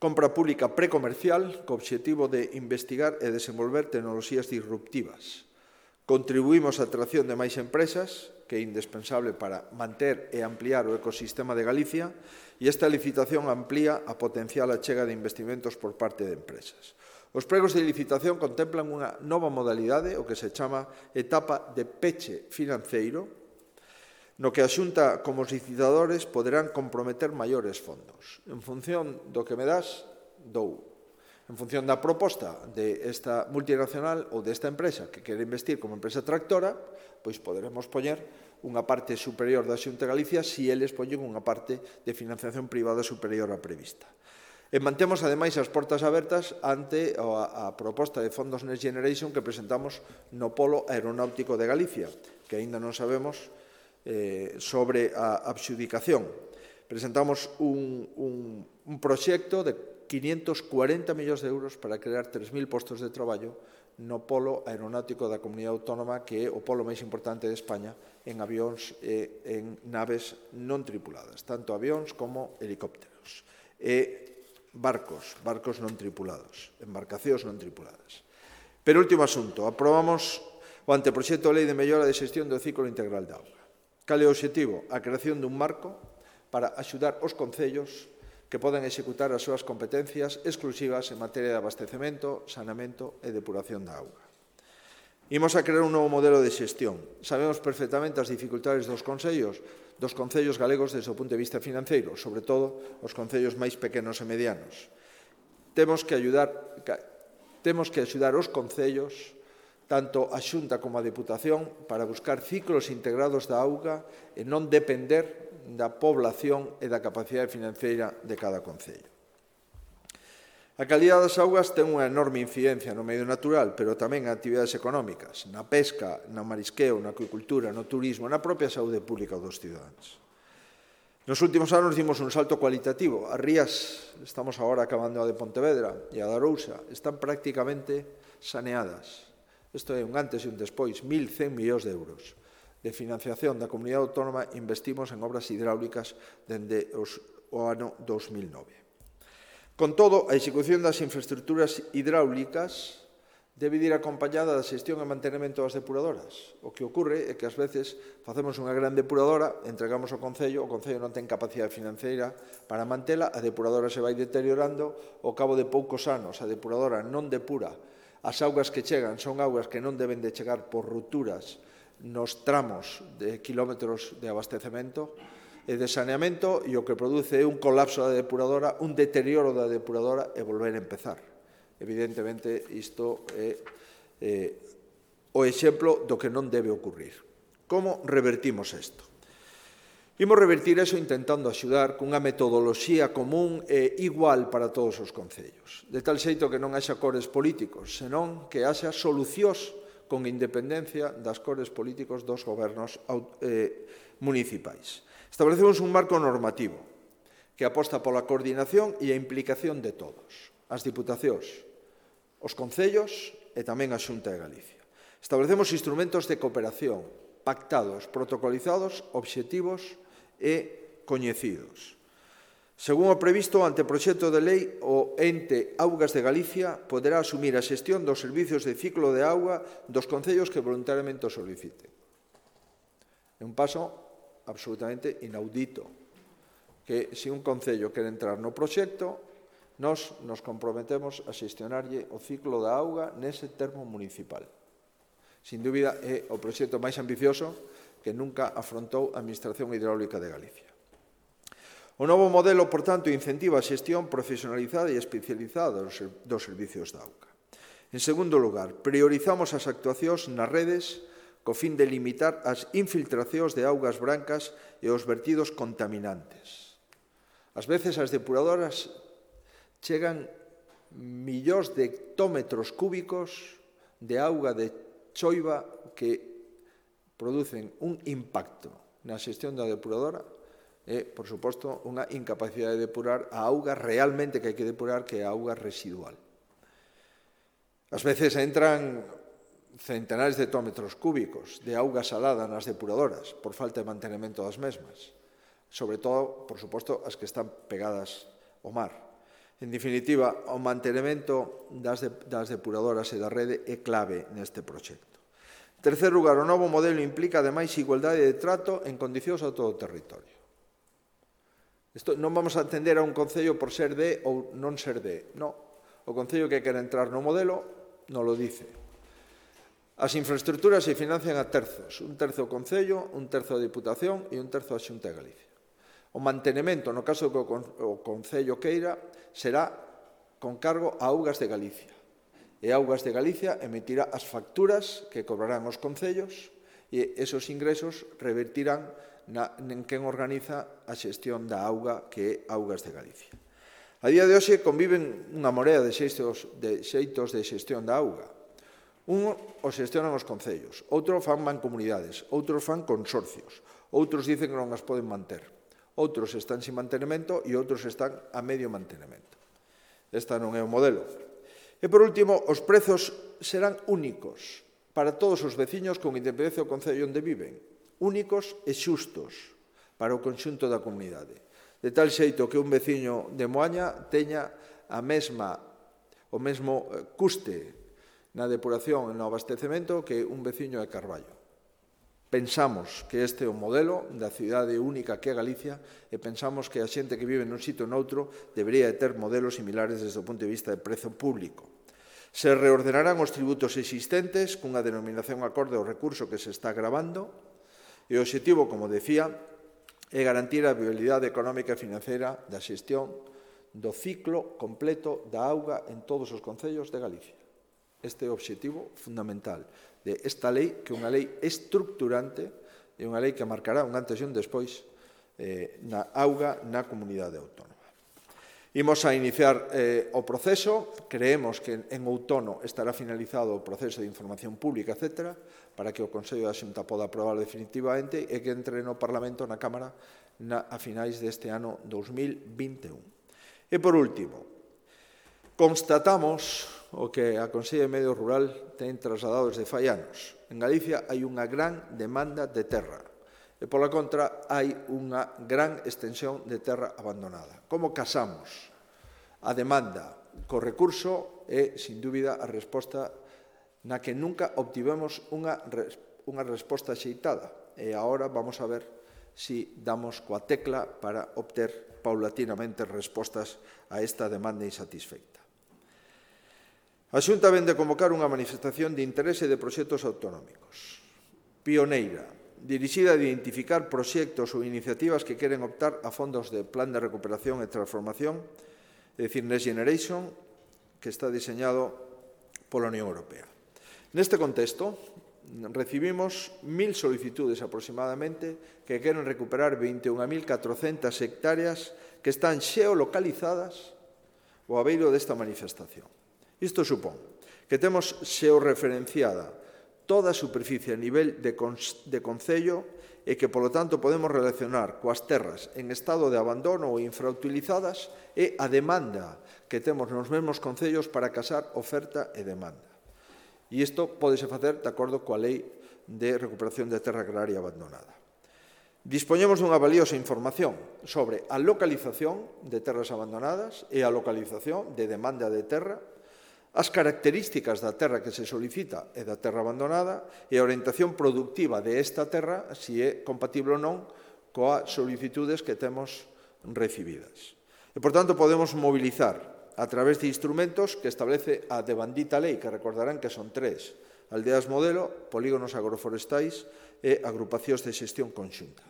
compra pública precomercial co obxectivo de investigar e desenvolver tecnoloxías disruptivas. Contribuímos á atracción de máis empresas, que é indispensable para manter e ampliar o ecosistema de Galicia, e esta licitación amplía a potencial achega de investimentos por parte de empresas. Os pregos de licitación contemplan unha nova modalidade, o que se chama etapa de peche financeiro, no que a Xunta como os licitadores poderán comprometer maiores fondos. En función do que me das, dou. En función da proposta desta multinacional ou desta empresa que quere investir como empresa tractora, pois poderemos poñer unha parte superior da Xunta de Galicia se eles poñen unha parte de financiación privada superior á prevista. E mantemos, ademais, as portas abertas ante a, a proposta de fondos Next Generation que presentamos no Polo Aeronáutico de Galicia, que aínda non sabemos eh, sobre a adxudicación. Presentamos un, un, un proxecto de quinientos cuarenta millóns de euros para crear tres mil postos de traballo no polo aeronáutico da Comunidade Autónoma, que é o polo máis importante de España en avións e en naves non tripuladas, tanto avións como helicópteros, e barcos, barcos non tripulados, embarcacións non tripuladas. Pero último asunto, aprobamos o anteproxecto de lei de mellora de xestión do ciclo integral de auga. Cal é o obxectivo? A creación dun marco para axudar os concellos que poden executar as súas competencias exclusivas en materia de abastecemento, saneamento e depuración da auga. Imos a crear un novo modelo de xestión. Sabemos perfectamente as dificultades dos concellos, dos concellos galegos desde o punto de vista financeiro, sobre todo os concellos máis pequenos e medianos. Temos que ayudar, temos que axudar os concellos, tanto a Xunta como a Deputación, para buscar ciclos integrados da auga e non depender da población e da capacidade financeira de cada concello. A calidade das augas ten unha enorme incidencia no medio natural, pero tamén en actividades económicas, na pesca, no marisqueo, na acuicultura, no turismo, na propia saúde pública dos cidadáns. Nos últimos anos dimos un salto cualitativo. As rías, estamos agora acabando a de Pontevedra e a da Arousa, están prácticamente saneadas. Isto é un antes e un despois, mil cen millóns de euros de financiación da Comunidade Autónoma investimos en obras hidráulicas dende os o ano dos mil nove. Con todo, a execución das infraestructuras hidráulicas debe ir acompañada da xestión e mantenimento das depuradoras. O que ocorre é que ás veces facemos unha gran depuradora, entregamos ao Concello, o Concello non ten capacidade financeira para mantela, a depuradora se vai deteriorando, ao cabo de poucos anos a depuradora non depura, as augas que chegan son augas que non deben de chegar por rupturas nos tramos de quilómetros de abastecemento e de saneamento, e o que produce é un colapso da depuradora, un deterioro da depuradora e volver a empezar. Evidentemente, isto é eh, o exemplo do que non debe ocurrir. Como revertimos isto? Imos revertir iso intentando axudar cunha metodoloxía común e igual para todos os concellos, de tal xeito que non haxa cores políticos, senón que haxa solucións con independencia das cores políticos dos gobernos eh, municipais. Establecemos un marco normativo que aposta pola coordinación e a implicación de todos, as diputacións, os concellos e tamén a Xunta de Galicia. Establecemos instrumentos de cooperación pactados, protocolizados, obxectivos e coñecidos. Según o previsto, ante o proxecto de lei, o ente Augas de Galicia poderá asumir a xestión dos servizos de ciclo de auga dos concellos que voluntariamente o soliciten. É un paso absolutamente inaudito, que se un concello quere entrar no proxecto, nós nos comprometemos a xestionarlle o ciclo da auga nese termo municipal. Sin dúbida, é o proxecto máis ambicioso que nunca afrontou a Administración Hidráulica de Galicia. O novo modelo, por tanto, incentiva a xestión profesionalizada e especializada dos servicios da auga. En segundo lugar, priorizamos as actuacións nas redes co fin de limitar as infiltracións de augas brancas e os vertidos contaminantes. Ás veces as depuradoras chegan millóns de hectómetros cúbicos de auga de choiva que producen un impacto na xestión da depuradora e, por suposto, unha incapacidade de depurar a auga realmente que hai que depurar, que é a auga residual. Ás veces entran centenares de hectómetros cúbicos de auga salada nas depuradoras por falta de mantenimento das mesmas, sobre todo, por suposto, as que están pegadas ao mar. En definitiva, o mantenimento das, de, das depuradoras e da rede é clave neste proxecto. En terceiro lugar, o novo modelo implica, ademais, igualdade de trato en condicións a todo o territorio. Isto, non vamos a atender a un concello por ser de ou non ser de. Non. O concello que quere entrar no modelo non lo dice. As infraestructuras se financian a terzos. Un terzo o concello, un terzo a Diputación e un terzo a Xunta de Galicia. O mantenimento, no caso que o Concello queira, será con cargo a Augas de Galicia. E Augas de Galicia emitirá as facturas que cobrarán os concellos e esos ingresos revertirán na, en quen organiza a xestión da auga que é Augas de Galicia. A día de hoxe conviven unha morea de xeitos de, xeitos de xestión da auga. Un o xestionan os concellos, outro fan mancomunidades, outros fan consorcios, outros dicen que non as poden manter. Outros están sin mantenimento e outros están a medio mantenimento. Esta non é o modelo. E, por último, os prezos serán únicos para todos os veciños con independencia do concello onde viven. Únicos e xustos para o conxunto da comunidade. De tal xeito que un veciño de Moaña teña a mesma, o mesmo custe na depuración e no abastecemento que un veciño de Carballo. Pensamos que este é o modelo da cidade única que é Galicia e pensamos que a xente que vive nun sitio ou noutro debería ter modelos similares desde o punto de vista de prezo público. Se reordenarán os tributos existentes cunha denominación acorde ao recurso que se está gravando e o obxectivo, como decía, é garantir a viabilidade económica e financeira da xestión do ciclo completo da auga en todos os concellos de Galicia. Este é o obxectivo fundamental de esta lei, que é unha lei estructurante e unha lei que marcará un antes e un despois eh, na auga na comunidade autónoma. Imos a iniciar eh, o proceso, creemos que en outono estará finalizado o proceso de información pública, etcétera, para que o Consello da Xunta poda aprobar definitivamente e que entre no Parlamento, na Cámara, na, a finais deste ano dos mil vinte e un. E, por último, constatamos o que a Consellería de Medio Rural ten trasladado desde fai anos. En Galicia hai unha gran demanda de terra E, pola contra, hai unha gran extensión de terra abandonada. Como casamos a demanda co recurso é, sin dúbida, a resposta na que nunca obtivemos unha, unha resposta axeitada. E agora vamos a ver si damos coa tecla para obter paulatinamente respostas a esta demanda insatisfeita. A Xunta vén de convocar unha manifestación de interese de proxectos autonómicos. Pioneira, dirixida a identificar proxectos ou iniciativas que queren optar a fondos de Plan de Recuperación e Transformación, é dicir, Next Generation, que está diseñado pola Unión Europea. Neste contexto, recibimos mil solicitudes aproximadamente que queren recuperar vinte e un mil catrocentas hectáreas que están xeolocalizadas ao abeiro desta manifestación. Isto supón que temos xeorreferenciada toda a superficie a nivel de, de concello e que, polo tanto, podemos relacionar coas terras en estado de abandono ou infrautilizadas e a demanda que temos nos mesmos concellos para casar oferta e demanda. E isto pódese facer de acordo coa Lei de Recuperación de Terra Agraria Abandonada. Dispoñemos dunha valiosa información sobre a localización de terras abandonadas e a localización de demanda de terra, as características da terra que se solicita e da terra abandonada e a orientación productiva de esta terra, se é compatible ou non coas solicitudes que temos recibidas. E, por tanto, podemos mobilizar a través de instrumentos que establece a devandita lei, que recordarán que son tres: aldeas modelo, polígonos agroforestais e agrupacións de xestión conxunta.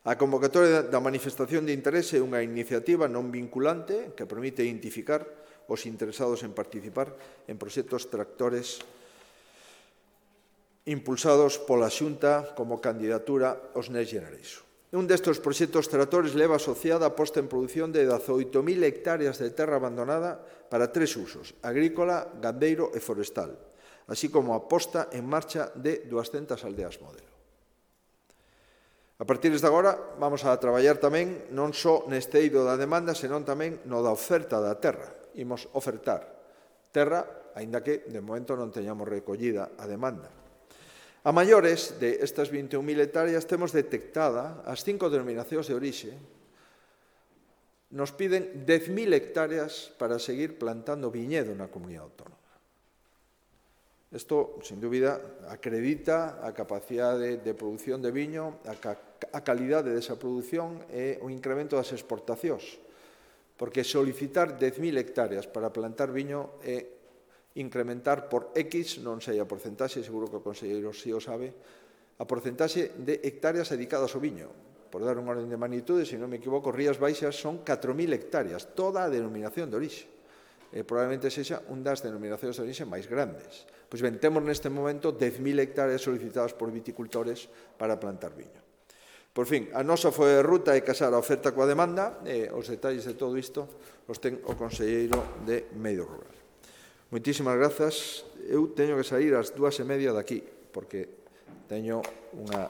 A convocatoria da manifestación de interese é unha iniciativa non vinculante que permite identificar os interesados en participar en proxectos tractores impulsados pola Xunta como candidatura aos Next Generation. Un destes proxectos tractores leva asociada a posta en produción de dezaoito mil hectáreas de terra abandonada para tres usos: agrícola, gandeiro e forestal, así como a posta en marcha de duascentas aldeas modelo. A partir de agora, vamos a traballar tamén non só neste eido da demanda, senón tamén no da oferta da terra. Imos ofertar terra, aínda que de momento non teñamos recollida a demanda. A maiores de estas vinte e un mil hectáreas temos detectada as cinco denominacións de orixe. Nos piden dez mil hectáreas para seguir plantando viñedo na comunidade autónoma. Isto, sin dúbida, acredita a capacidade de produción de viño, a, ca a calidade desa produción e o incremento das exportacións, porque solicitar dez mil hectáreas para plantar viño é incrementar por X, non sei a porcentaxe, seguro que o conselleiro si o sabe, a porcentaxe de hectáreas dedicadas ao viño. Por dar un orden de magnitude, se non me equivoco, Rías Baixas son catro mil hectáreas, toda a denominación de orixe. E probablemente sexa un das denominacións de orixe máis grandes. Pois ben, temos neste momento dez mil hectáreas solicitadas por viticultores para plantar viño. Por fin, a nosa foi de ruta é casar a oferta coa demanda e os detalles de todo isto os ten o conselleiro de Medio Rural. Moitísimas grazas. Eu teño que sair ás dúas e media daqui, porque teño unha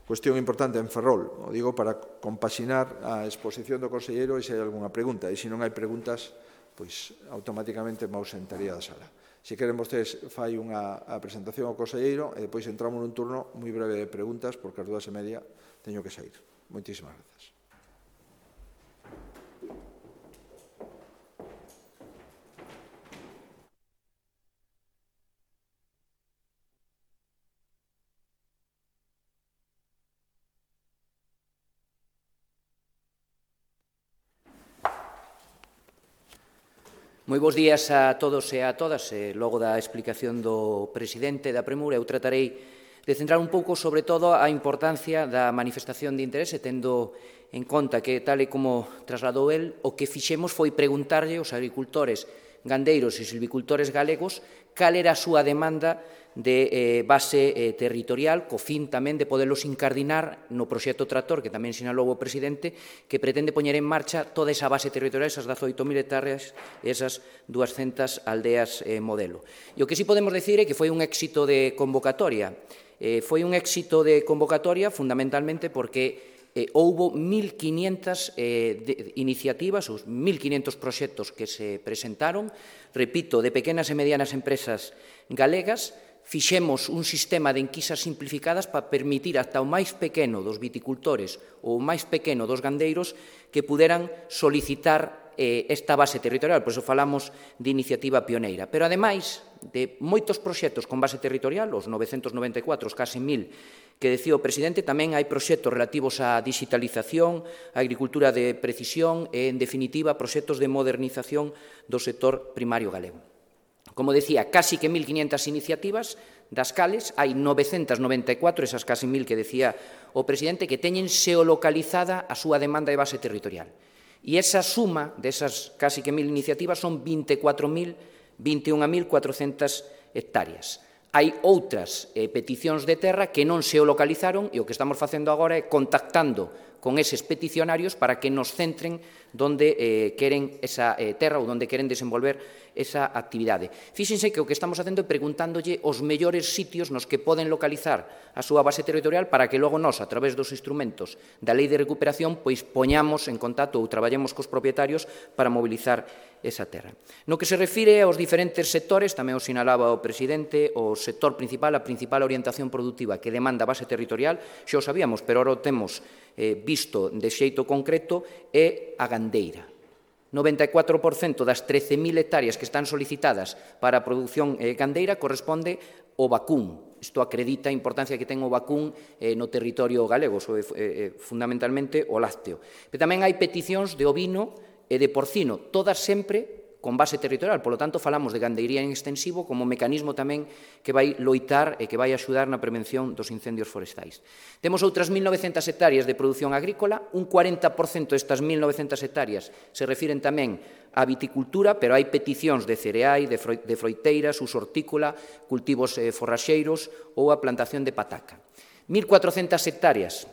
cuestión importante en Ferrol. O digo para compaxinar a exposición do conselleiro e se hai algunha pregunta. E se non hai preguntas, pois automáticamente me ausentaría da sala. Se queren vostedes, fai unha a presentación ao conselleiro e depois entramos nun turno moi breve de preguntas, porque ás dúas e media teño que sair. Moitísimas grazas. Moi bons días a todos e a todas. E logo da explicación do presidente da Premura, eu tratarei de centrar un pouco, sobre todo, a importancia da manifestación de interese, tendo en conta que, tal e como trasladou el, o que fixemos foi preguntarlle aos agricultores, gandeiros e silvicultores galegos cal era a súa demanda de eh, base eh, territorial, co fin tamén de podelos incardinar no proxecto Tractor, que tamén sinalou o presidente, que pretende poñer en marcha toda esa base territorial, esas dezaoito mil hectáreas e esas duascentas aldeas eh, modelo. E o que sí podemos decir é que foi un éxito de convocatoria. Eh, foi un éxito de convocatoria fundamentalmente porque Eh, houbo mil quiñentas eh, de, iniciativas, os mil quiñentos proxectos que se presentaron, repito, de pequenas e medianas empresas galegas, fixemos un sistema de enquisas simplificadas para permitir ata o máis pequeno dos viticultores ou o máis pequeno dos gandeiros que puderan solicitar eh, esta base territorial. Por iso falamos de iniciativa pioneira. Pero, ademais de moitos proxectos con base territorial, os novecentos noventa e catro, os case mil que decía o presidente, tamén hai proxectos relativos á digitalización, á agricultura de precisión e, en definitiva, proxectos de modernización do sector primario galego. Como decía, casi que mil quinhentas iniciativas, das cales hai novecentas noventa e catro, esas casi mil que decía o presidente, que teñen xeolocalizada a súa demanda de base territorial. E esa suma desas casi que mil iniciativas son vinte e catro mil, vinte e un mil cuatrocentas hectáreas. Hai outras eh, peticións de terra que non se localizaron e o que estamos facendo agora é contactando con eses peticionarios para que nos centren donde eh, queren esa eh, terra ou donde queren desenvolver esa actividade. Fíxense que o que estamos facendo é preguntándolle os mellores sitios nos que poden localizar a súa base territorial para que logo nós, a través dos instrumentos da Lei de Recuperación, pois poñamos en contacto ou traballemos cos propietarios para mobilizar esa terra. No que se refire aos diferentes sectores, tamén o sinalaba o presidente, o sector principal, a principal orientación productiva que demanda base territorial, xa o sabíamos, pero ahora o temos eh, visto de xeito concreto, é a gandeira. noventa e catro por cento das trece mil hectáreas que están solicitadas para a produción eh, gandeira corresponde ao vacún. Isto acredita a importancia que ten o vacún eh, no territorio galego, sobre, eh, fundamentalmente o lácteo. Pero tamén hai peticións de ovino e de porcino, todas sempre con base territorial. Por lo tanto, falamos de gandeiría en extensivo como mecanismo tamén que vai loitar e que vai axudar na prevención dos incendios forestais. Temos outras mil novecentas hectáreas de produción agrícola, un cuarenta por cento destas mil novecentas hectáreas se refiren tamén á viticultura, pero hai peticións de cereais, de froiteiras, uso hortícola, cultivos forraxeiros ou a plantación de pataca. mil cuatrocentas hectáreas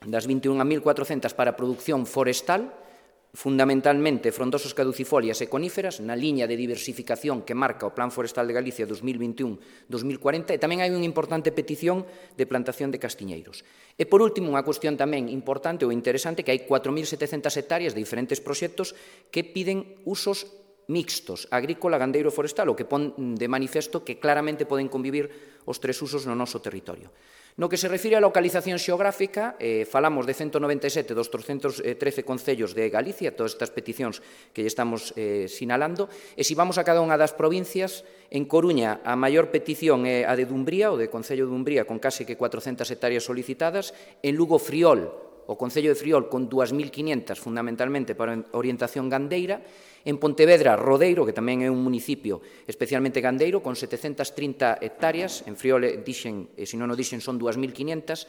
das vinte e un mil cuatrocentas para a produción forestal, fundamentalmente frondosas caducifolias e coníferas, na liña de diversificación que marca o Plan Forestal de Galicia dos mil vinte e un a dos mil cuarenta, e tamén hai unha importante petición de plantación de castiñeiros. E, por último, unha cuestión tamén importante ou interesante, que hai catro mil setecentas hectáreas de diferentes proxectos que piden usos mixtos, agrícola, gandeiro e forestal, o que pon de manifesto que claramente poden convivir os tres usos no noso territorio. No que se refire á localización xeográfica, eh, falamos de ciento noventa e sete dos trescentos trece concellos de Galicia, todas estas peticións que lle estamos eh, sinalando, e se vamos a cada unha das provincias, en Coruña a maior petición é a de Dumbría, o de Concello de Dumbría, con case que cuatrocentas hectáreas solicitadas, en Lugo Friol, o Concello de Friol, con dúas mil quinhentas, fundamentalmente para orientación gandeira, en Pontevedra, Rodeiro, que tamén é un municipio especialmente gandeiro, con setecentas trinta hectáreas, en Friol, dixen, e se non o dixen, son dúas mil quinhentas,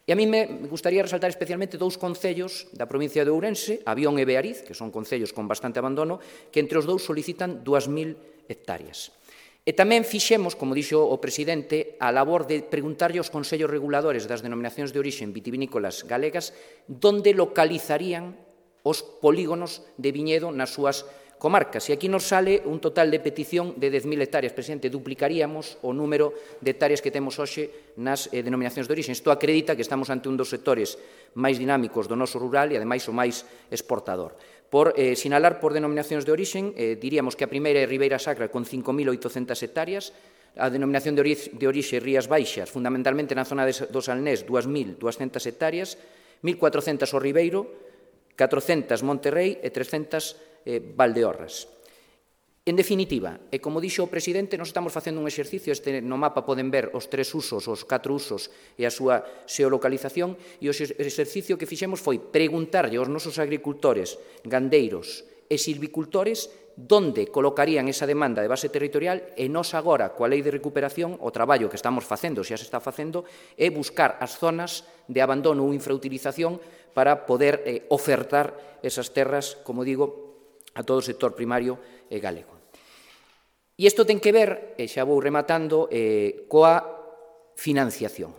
e a mí me gustaría resaltar especialmente dous concellos da provincia de Ourense, Avión e Beariz, que son concellos con bastante abandono, que entre os dous solicitan dúas mil hectáreas. E tamén fixemos, como dixo o presidente, a labor de preguntarlle aos consellos reguladores das denominacións de orixen vitivinícolas galegas onde localizarían os polígonos de viñedo nas súas comarcas. E aquí nos sale un total de petición de dez mil hectáreas. Presidente, duplicaríamos o número de hectáreas que temos hoxe nas eh, denominacións de orixen. Isto acredita que estamos ante un dos sectores máis dinámicos do noso rural e, ademais, o máis exportador. Por eh, sinalar por denominacións de orixen, eh, diríamos que a primeira é Ribeira Sacra con cinco mil oitocentas hectáreas, a denominación de, ori de orixe Rías Baixas, fundamentalmente na zona de, do Salnés, dúas mil duascentas hectáreas, mil cuatrocentas o Ribeiro, catrocentas Monterrey e trescentas eh, Valdeorras. En definitiva, e como dixo o presidente, nos estamos facendo un exercicio, este no mapa poden ver os tres usos, os catro usos e a súa xeolocalización, e o exercicio que fixemos foi preguntarlle aos nosos agricultores, gandeiros e silvicultores donde colocarían esa demanda de base territorial, e nós agora, coa Lei de Recuperación, o traballo que estamos facendo, xa se está facendo, é buscar as zonas de abandono ou infrautilización para poder eh, ofertar esas terras, como digo, a todo o sector primario e galego. E isto ten que ver, e xa vou rematando, eh, coa financiación.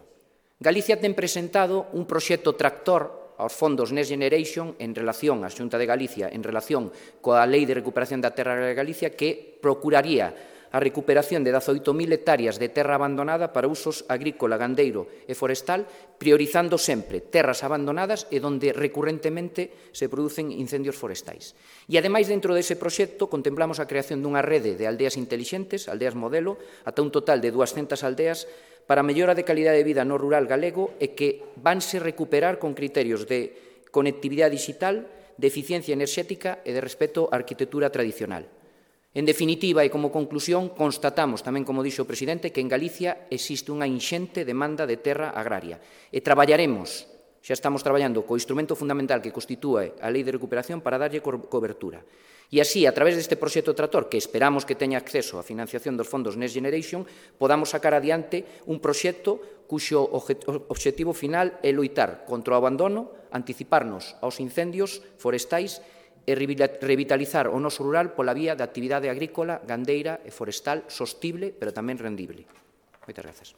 Galicia ten presentado un proxecto tractor aos fondos Next Generation en relación á Xunta de Galicia, en relación coa Lei de Recuperación da Terra de Galicia, que procuraría a recuperación de dezaoito mil hectáreas de terra abandonada para usos agrícola, gandeiro e forestal, priorizando sempre terras abandonadas e onde recurrentemente se producen incendios forestais. E, ademais, dentro dese proxecto, contemplamos a creación dunha rede de aldeas intelixentes, aldeas modelo, ata un total de duascentas aldeas, para a mellora de calidade de vida no rural galego e que vanse recuperar con criterios de conectividade digital, de eficiencia enerxética e de respeto á arquitectura tradicional. En definitiva, e como conclusión, constatamos tamén, como dixo o presidente, que en Galicia existe unha inxente demanda de terra agraria e traballaremos, xa estamos traballando co instrumento fundamental que constitúe a Lei de Recuperación para darlle cobertura. E así, a través deste proxecto tractor, que esperamos que teña acceso á financiación dos fondos Next Generation, podamos sacar adiante un proxecto cuxo obxectivo final é loitar contra o abandono, anticiparnos aos incendios forestais e revitalizar o noso rural pola vía da actividade agrícola, gandeira e forestal sostible, pero tamén rendible. Moitas grazas.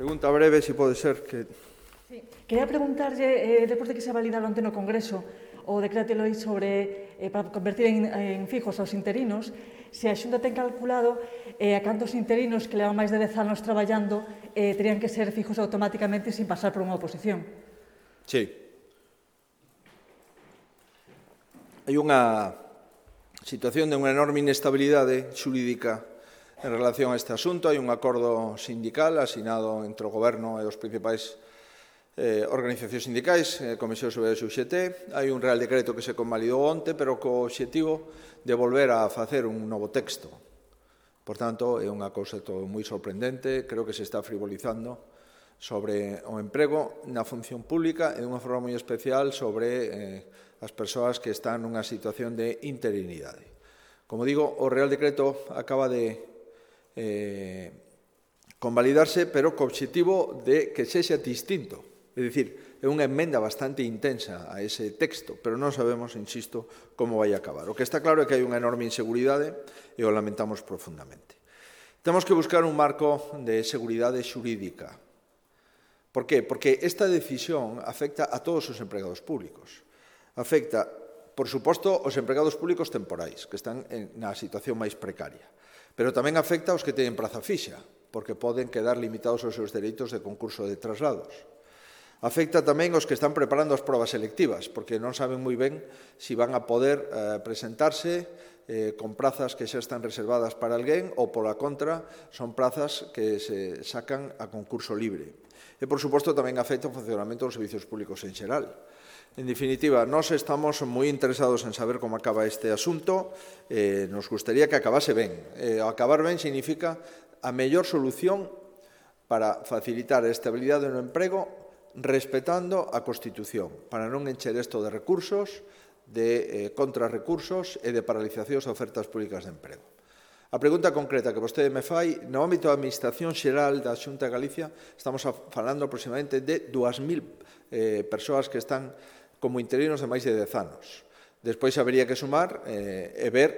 Pregunta breve, se pode ser que... Sí. Quería preguntarlle, eh, despois de que se validara onte no Congreso o decreto de lei sobre eh, para convertir en, en fijos aos interinos, se a Xunta ten calculado eh, a cantos interinos que levan máis de dez anos traballando eh, terían que ser fijos automáticamente sin pasar por unha oposición. Sí. Hai unha situación de unha enorme inestabilidade xurídica en relación a este asunto. Hai un acordo sindical asinado entre o Goberno e os principais eh, organizacións sindicais, eh, Comisión sobre o X T. Hai un real decreto que se convalidou onte, pero co obxectivo de volver a facer un novo texto. Por tanto, é unha cousa todo moi sorprendente. Creo que se está frivolizando sobre o emprego na función pública e de unha forma moi especial sobre eh, as persoas que están nunha situación de interinidade. Como digo, o real decreto acaba de Eh, convalidarse, pero co obxectivo de que sexa distinto. É dicir, é unha emenda bastante intensa a ese texto, pero non sabemos, insisto, como vai a acabar. O que está claro é que hai unha enorme inseguridade e o lamentamos profundamente. Temos que buscar un marco de seguridade xurídica. Por qué? Porque esta decisión afecta a todos os empregados públicos. Afecta, por suposto, os empregados públicos temporais, que están na situación máis precaria. Pero tamén afecta aos que teñen praza fixa, porque poden quedar limitados os seus dereitos de concurso de traslados. Afecta tamén aos que están preparando as probas selectivas, porque non saben moi ben se van a poder eh, presentarse eh, con prazas que xa están reservadas para alguén ou, pola contra, son prazas que se sacan a concurso libre. E, por suposto, tamén afecta o funcionamento dos servicios públicos en xeral. En definitiva, nós estamos moi interesados en saber como acaba este asunto. Eh, nos gustaría que acabase ben. Eh, acabar ben significa a mellor solución para facilitar a estabilidade no emprego respetando a Constitución, para non encher isto de recursos, de eh, contrarrecursos e de paralizacións a ofertas públicas de emprego. A pregunta concreta que vostede me fai, no ámbito da Administración Xeral da Xunta de Galicia, estamos falando aproximadamente de dúas mil eh, persoas que están como interinos de máis de dez anos. Despois habería que sumar eh, e ver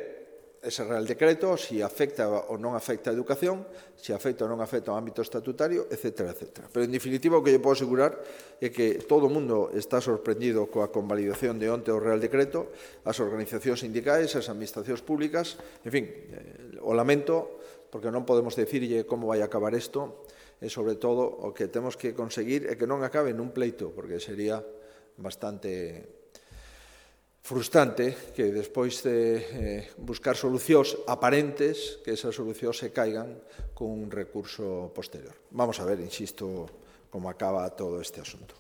ese real decreto, se afecta ou non afecta a educación, se afecta ou non afecta ao ámbito estatutario, etcétera, etcétera. Pero, en definitiva, o que lle podo asegurar é que todo o mundo está sorprendido coa convalidación de onte o real decreto, as organizacións sindicais, as administracións públicas, en fin, eh, o lamento, porque non podemos decirlle como vai a acabar isto, e, sobre todo, o que temos que conseguir é que non acabe nun pleito, porque sería bastante frustrante que despois de eh, buscar solucións aparentes, que esas solucións se caigan con un recurso posterior. Vamos a ver, insisto, como acaba todo este asunto.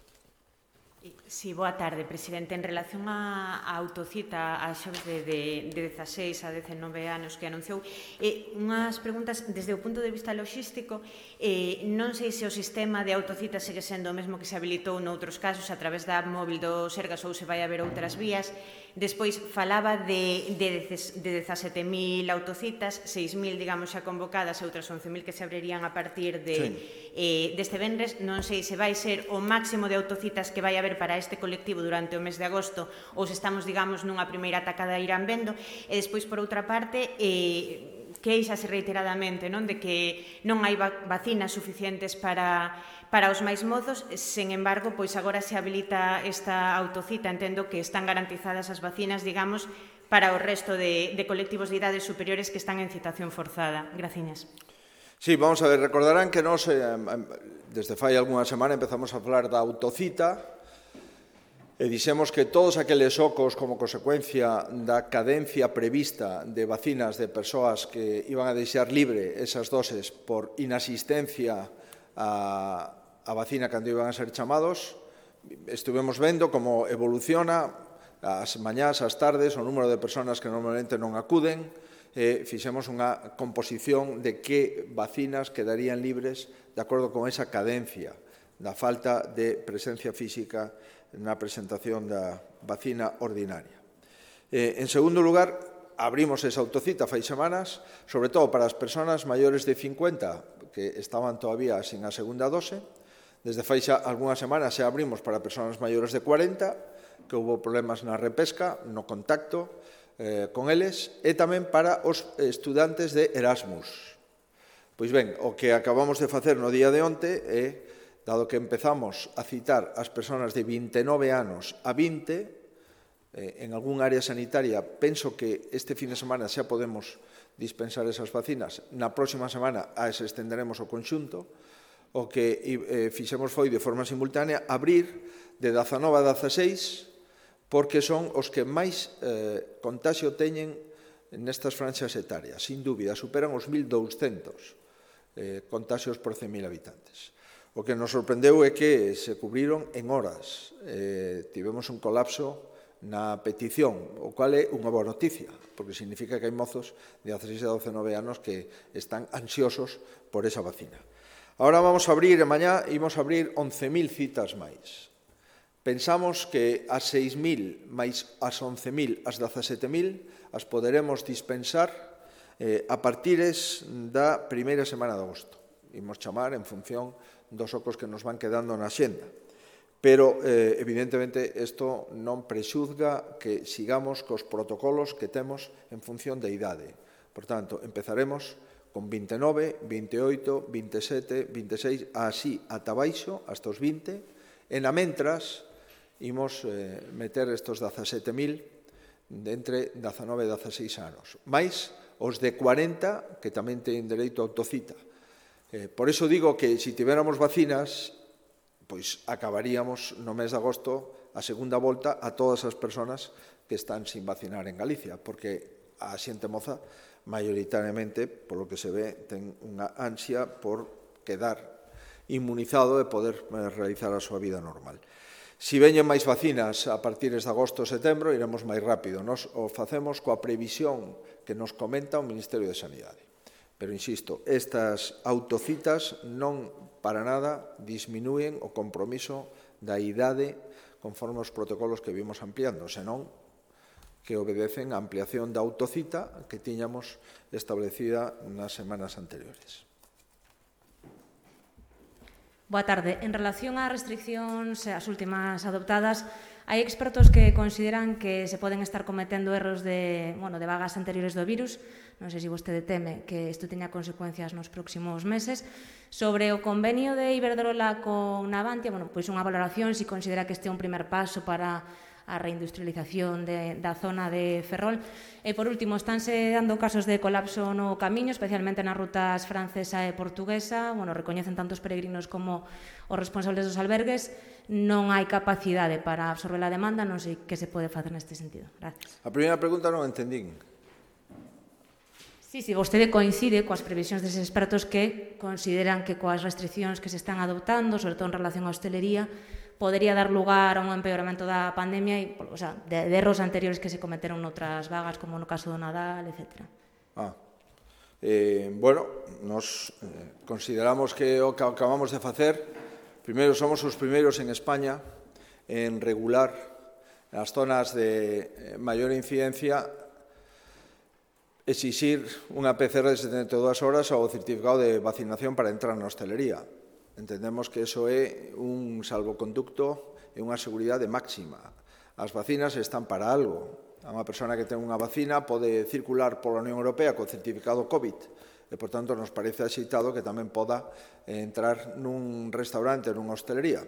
Sí, boa tarde, presidente. En relación á autocita a xoves de, de, de dezaseis a dezenove anos que anunciou, eh, unhas preguntas desde o punto de vista logístico, eh, non sei se o sistema de autocita segue sendo o mesmo que se habilitou noutros casos a través da app móvil do Sergas ou se vai haber outras vías. Despois falaba de, de, de dezasete mil autocitas, seis mil, digamos, xa convocadas e outras once mil que se abrirían a partir de, sí. eh, deste venres. Non sei se vai ser o máximo de autocitas que vai haber para este colectivo durante o mes de agosto ou se estamos, digamos, nunha primeira atacada irán vendo. E despois, por outra parte, eh, queixase reiteradamente non de que non hai vacinas suficientes para... para os máis mozos, sen embargo, pois agora se habilita esta autocita, entendo que están garantizadas as vacinas, digamos, para o resto de, de colectivos de idades superiores que están en citación forzada. Graciñas. Sí, vamos a ver, recordarán que nos, eh, desde fai algunha semana empezamos a falar da autocita e dixemos que todos aqueles ocos como consecuencia da cadencia prevista de vacinas de persoas que iban a deixar libre esas doses por inasistencia a, a vacina cando iban a ser chamados, estuvemos vendo como evoluciona as mañás, as tardes, o número de persoas que normalmente non acuden, e fixemos unha composición de que vacinas quedarían libres de acordo con esa cadencia da falta de presencia física na presentación da vacina ordinaria. Eh, en segundo lugar, abrimos esa autocita fai semanas, sobre todo para as persoas maiores de cincuenta que estaban todavía sin a segunda dose. Desde fai xa algunhas semanas xa abrimos para persoas maiores de cuarenta, que houve problemas na repesca, no contacto eh, con eles, e tamén para os estudantes de Erasmus. Pois ben, o que acabamos de facer no día de onte é, dado que empezamos a citar as persoas de vinte e nove anos a vinte, eh, en algún área sanitaria, penso que este fin de semana xa podemos dispensar esas vacinas. Na próxima semana as estenderemos ao conxunto. O que eh, fixemos foi, de forma simultánea, abrir de dezanove a dezaseis, porque son os que máis eh, contagio teñen nestas franxas etarias. Sin dúbida, superan os mil douscentos eh, contagios por cen mil habitantes. O que nos sorprendeu é que se cubriron en horas. Eh, tivemos un colapso na petición, o cual é unha boa noticia, porque significa que hai mozos de dezaseis a dezenove anos que están ansiosos por esa vacina. Ahora vamos a abrir, e mañá imos a abrir once mil citas máis. Pensamos que as seis mil máis as once mil, as dezasete mil, as poderemos dispensar eh, a partires da primeira semana de agosto. Imos chamar en función dos ocos que nos van quedando na xenda. Pero, eh, evidentemente, isto non prexuzga que sigamos cos protocolos que temos en función da idade. Por tanto, empezaremos con vinte e nove, vinte e oito, vinte e sete, vinte e seis, así ata baixo, hasta os vinte, e na mentras imos eh, meter estos dezasete mil de entre dezanove e dezaseis anos, máis os de cuarenta que tamén teñen dereito a autocita. Eh, por iso digo que se tiveramos vacinas, pois acabaríamos no mes de agosto a segunda volta a todas as persoas que están sin vacinar en Galicia, porque a xente moza maioritariamente, polo que se ve, ten unha ansia por quedar inmunizado e poder realizar a súa vida normal. Si veñen máis vacinas a partir de agosto ou setembro, iremos máis rápido. Nos o facemos coa previsión que nos comenta o Ministerio de Sanidade. Pero, insisto, estas autocitas non para nada disminúen o compromiso da idade conforme os protocolos que vimos ampliando, senón que obedecen a ampliación da autocita que tiñamos establecida nas semanas anteriores. Boa tarde. En relación ás restriccións, as últimas adoptadas, hai expertos que consideran que se poden estar cometendo erros de, bueno, de vagas anteriores do virus. Non sei se vostede teme que isto teña consecuencias nos próximos meses. Sobre o convenio de Iberdrola con Navantia, bueno, pois unha valoración, se considera que este é un primer paso para a reindustrialización de, da zona de Ferrol. E, por último, estánse dando casos de colapso no camiño, especialmente nas rutas francesa e portuguesa. Bueno, recoñecen tanto os peregrinos como os responsables dos albergues. Non hai capacidade para absorber a demanda, non sei que se pode facer neste sentido. Gracias. A primeira pregunta non entendín. Sí, sí, vostede coincide coas previsións deses expertos que consideran que coas restriccións que se están adoptando, sobre todo en relación á hostelería, podería dar lugar a un empeoramento da pandemia e, o sea, de, de erros anteriores que se cometeron noutras vagas, como no caso do Nadal, etcétera. Ah, eh, bueno, nos eh, consideramos que o que acabamos de facer, primeiro somos os primeiros en España en regular as zonas de maior incidencia, exixir unha P C R de setenta e dúas horas ou certificado de vacinación para entrar na hostelería. Entendemos que iso é un salvoconducto e unha seguridade máxima. As vacinas están para algo. A unha persona que ten unha vacina pode circular pola Unión Europea co certificado COVID e, por tanto, nos parece axeitado que tamén poda entrar nun restaurante, nunha hostelería.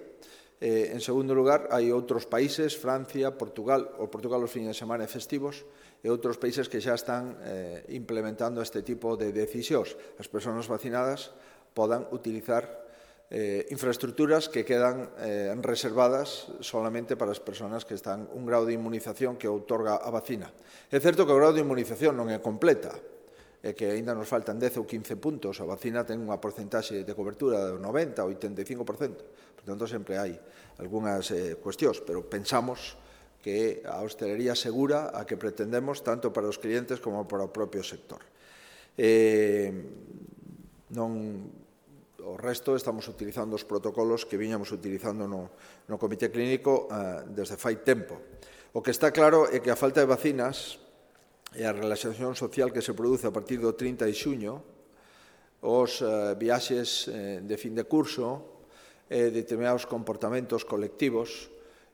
Eh, en segundo lugar, hai outros países, Francia, Portugal, o Portugal os fines de semana e festivos, e outros países que xa están eh, implementando este tipo de decisións. As persoas vacinadas podan utilizar Eh, infraestructuras que quedan eh, reservadas solamente para as persoas que están un grado de inmunización que outorga a vacina. É certo que o grado de inmunización non é completa, e que aínda nos faltan dez ou quince puntos. A vacina ten unha porcentaxe de cobertura do noventa ou oitenta e cinco por cento. Por tanto, sempre hai algunhas eh, cuestións, pero pensamos que a hostelería segura a que pretendemos tanto para os clientes como para o propio sector. Eh, non... O resto estamos utilizando os protocolos que viñamos utilizando no, no Comité Clínico eh, desde fai tempo. O que está claro é que a falta de vacinas e a relaxación social que se produce a partir do trinta de xuño, os eh, viaxes eh, de fin de curso, eh, determinados comportamentos colectivos,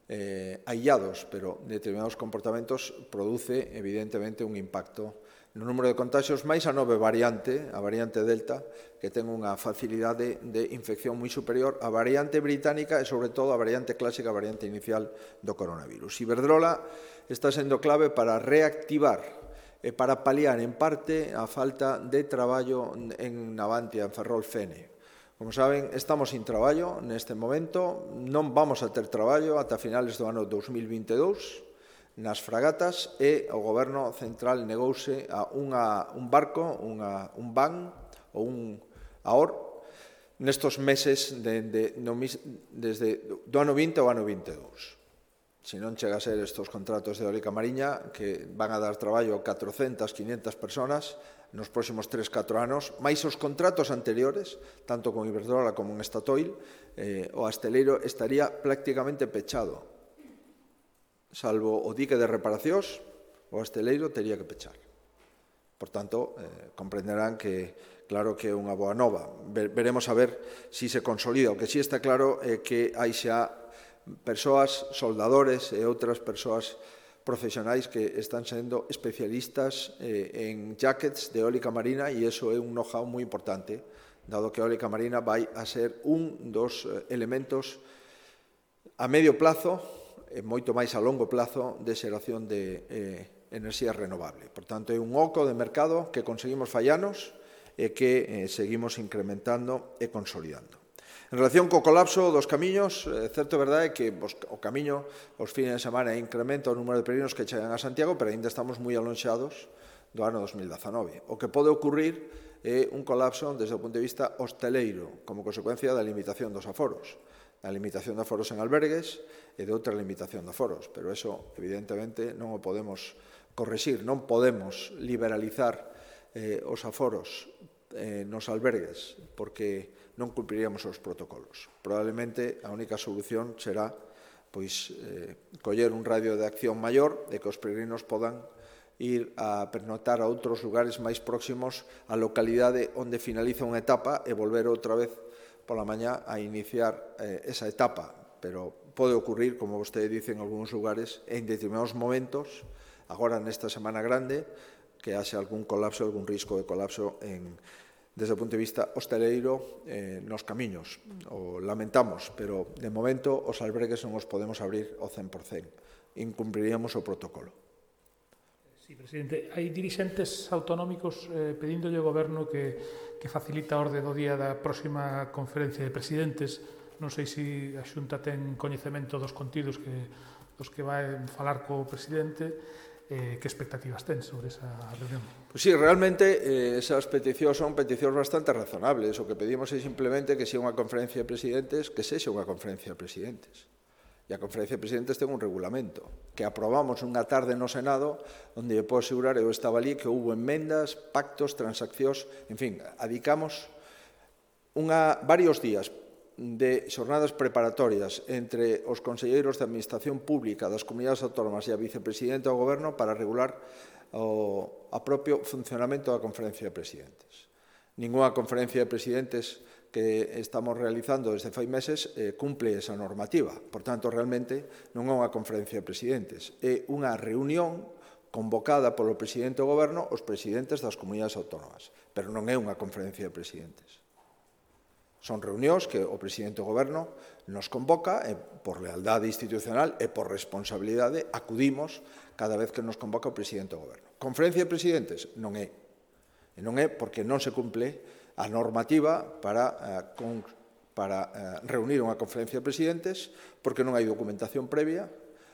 eh, aillados, pero determinados comportamentos produce evidentemente un impacto no número de contagios, máis a nove variante, a variante Delta, que ten unha facilidade de infección moi superior á variante británica e, sobre todo, a variante clásica, a variante inicial do coronavirus. Iberdrola está sendo clave para reactivar e para paliar, en parte, a falta de traballo en Navantia, en Ferrol-Fene. Como saben, estamos sin traballo neste momento, non vamos a ter traballo ata finales do ano dos mil vinte e dous, nas fragatas, e o Goberno Central negouse a unha, un barco, unha, un van ou un aor nestos meses de, de, no, desde do ano vinte ao ano vinte e dous. Se non chega a ser estes contratos de eólica mariña que van a dar traballo a catrocentas, quinhentas personas nos próximos tres, catro anos, máis os contratos anteriores, tanto con Iberdrola como en Statoil, eh, o asteleiro estaría prácticamente pechado. Salvo o dique de reparacións, o asteleiro tería que pechar. Por tanto, eh, comprenderán que, claro, que é unha boa nova. Veremos a ver se si se consolida. O que si sí está claro é que hai xa persoas, soldadores e outras persoas profesionais que están sendo especialistas eh, en jackets de eólica marina, e iso é un know-how moi importante, dado que a eólica marina vai a ser un dos elementos a medio plazo e moito máis a longo plazo de xeración de eh, enerxía renovable. Por tanto, é un oco de mercado que conseguimos fallanos e que eh, seguimos incrementando e consolidando. En relación co colapso dos camiños, é certo, verdade, que os, o camiño os fines de semana incrementa o número de peregrinos que chegan a Santiago, pero ainda estamos moi alonxados do ano dos mil dezanove. O que pode ocurrir é un colapso desde o punto de vista hosteleiro, como consecuencia da limitación dos aforos. A limitación de aforos en albergues e de outra limitación de aforos, pero eso, evidentemente, non o podemos correxir, non podemos liberalizar eh, os aforos eh, nos albergues, porque non cumpriríamos os protocolos. Probablemente a única solución será pois, eh, coller un radio de acción maior e que os peregrinos podan ir a pernoctar a outros lugares máis próximos á localidade onde finaliza unha etapa e volver outra vez pola mañá a iniciar eh, esa etapa, pero pode ocurrir, como vostede dice, en algúns lugares, en determinados momentos, agora nesta semana grande, que haxe algún colapso, algún risco de colapso en, desde o punto de vista hosteleiro eh, nos camiños. O lamentamos, pero de momento os albergues non os podemos abrir ao cen por cen. Incumpriríamos o protocolo. Sí, presidente, hai dirixentes autonómicos eh, pedíndolle ao Goberno que, que facilita a orde do día da próxima conferencia de presidentes. Non sei se a Xunta ten coñecemento dos contidos que, dos que vai falar co presidente. Eh, que expectativas ten sobre esa reunión? Pois sí, realmente eh, esas peticións son peticións bastante razonables. O que pedimos é simplemente que se unha conferencia de presidentes, que sexa unha conferencia de presidentes. E a Conferencia de Presidentes ten un regulamento que aprobamos unha tarde no Senado onde eu podo asegurar, eu estaba ali, que houve enmendas, pactos, transaccións, en fin, adicamos unha, varios días de xornadas preparatorias entre os conselleiros de Administración Pública das Comunidades Autónomas e a Vicepresidenta do Goberno para regular o a propio funcionamento da Conferencia de Presidentes. Ninguna Conferencia de Presidentes que estamos realizando desde fai meses eh, cumple esa normativa. Por tanto, realmente non é unha Conferencia de Presidentes, é unha reunión convocada polo Presidente do Goberno os presidentes das comunidades autónomas, pero non é unha Conferencia de Presidentes. Son reunións que o Presidente do Goberno nos convoca e, por lealdade institucional e por responsabilidade, acudimos cada vez que nos convoca o Presidente do Goberno. Conferencia de Presidentes? Non é. E non é porque non se cumple a normativa para, eh, con, para eh, reunir unha Conferencia de Presidentes, porque non hai documentación previa,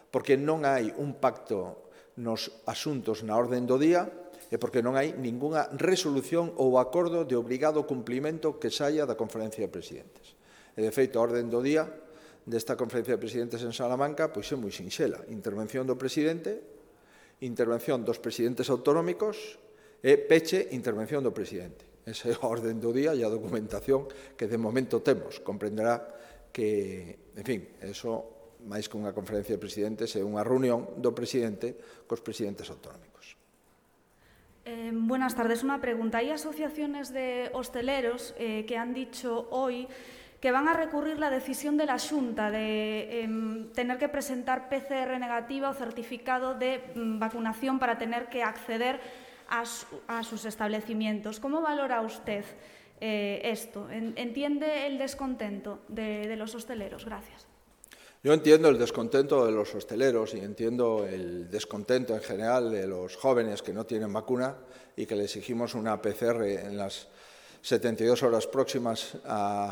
porque non hai un pacto nos asuntos na orden do día, e porque non hai ningunha resolución ou acordo de obrigado cumplimento que saia da Conferencia de Presidentes. E, de feito, a orden do día desta Conferencia de Presidentes en Salamanca pois é moi sinxela. Intervención do Presidente, intervención dos presidentes autonómicos e peche, intervención do Presidente. Esa é a orden do día e a documentación que de momento temos. Comprenderá que, en fin, eso, máis que unha Conferencia de Presidentes, é unha reunión do Presidente cos presidentes autonómicos. Eh, buenas tardes. Una pregunta. Hay asociaciones de hosteleros eh, que han dicho hoy que van a recurrir la decisión de la Xunta de eh, tener que presentar P C R negativa o certificado de mm, vacunación para tener que acceder a, su, a sus establecimientos. ¿Cómo valora usted eh, esto? ¿Entiende el descontento de, de los hosteleros? Gracias. Yo entiendo el descontento de los hosteleros y entiendo el descontento en general de los jóvenes que no tienen vacuna y que le exigimos una P C R en las setenta y dos horas próximas a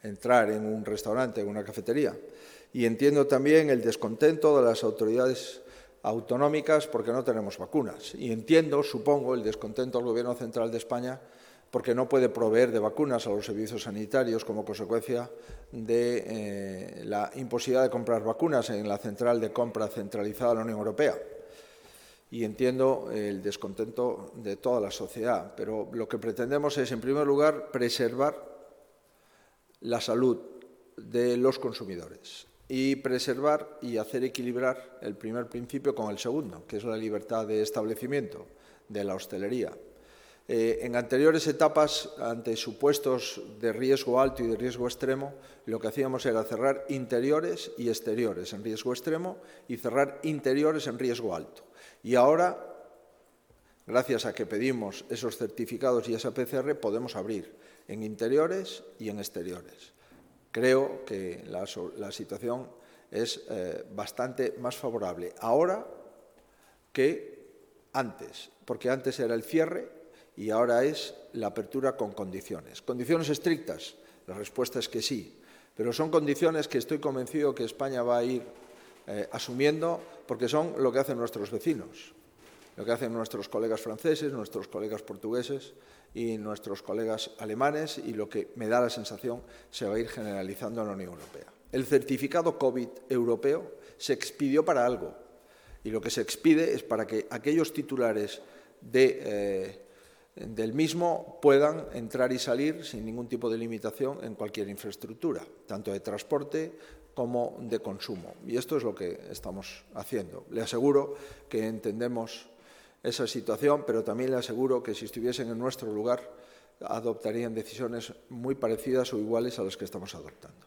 entrar en un restaurante, en una cafetería. Y entiendo también el descontento de las autoridades autonómicas porque no tenemos vacunas. Y entiendo, supongo, el descontento del Gobierno Central de España porque no puede proveer de vacunas a los servicios sanitarios como consecuencia de eh, la imposibilidad de comprar vacunas en la central de compra centralizada de la Unión Europea. Y entiendo el descontento de toda la sociedad, pero lo que pretendemos es, en primer lugar, preservar la salud de los consumidores y preservar y hacer equilibrar el primer principio con el segundo, que es la libertad de establecimiento de la hostelería. Eh, en anteriores etapas, ante supuestos de riesgo alto y de riesgo extremo, lo que hacíamos era cerrar interiores y exteriores en riesgo extremo y cerrar interiores en riesgo alto. Y ahora, gracias a que pedimos esos certificados y esa P C R, podemos abrir en interiores y en exteriores. Creo que la, la situación es eh, bastante más favorable ahora que antes, porque antes era el cierre y ahora es la apertura con condiciones. ¿Condiciones estrictas? La respuesta es que sí, pero son condiciones que estoy convencido que España va a ir eh, asumiendo porque son lo que hacen nuestros vecinos, lo que hacen nuestros colegas franceses, nuestros colegas portugueses y nuestros colegas alemanes y lo que me da la sensación se va a ir generalizando en la Unión Europea. El certificado COVID europeo se expidió para algo y lo que se expide es para que aquellos titulares de... Eh, del mismo puedan entrar y salir sin ningún tipo de limitación en cualquier infraestructura, tanto de transporte como de consumo. Y esto es lo que estamos haciendo. Le aseguro que entendemos esa situación, pero también le aseguro que si estuviesen en nuestro lugar adoptarían decisiones muy parecidas o iguales a las que estamos adoptando.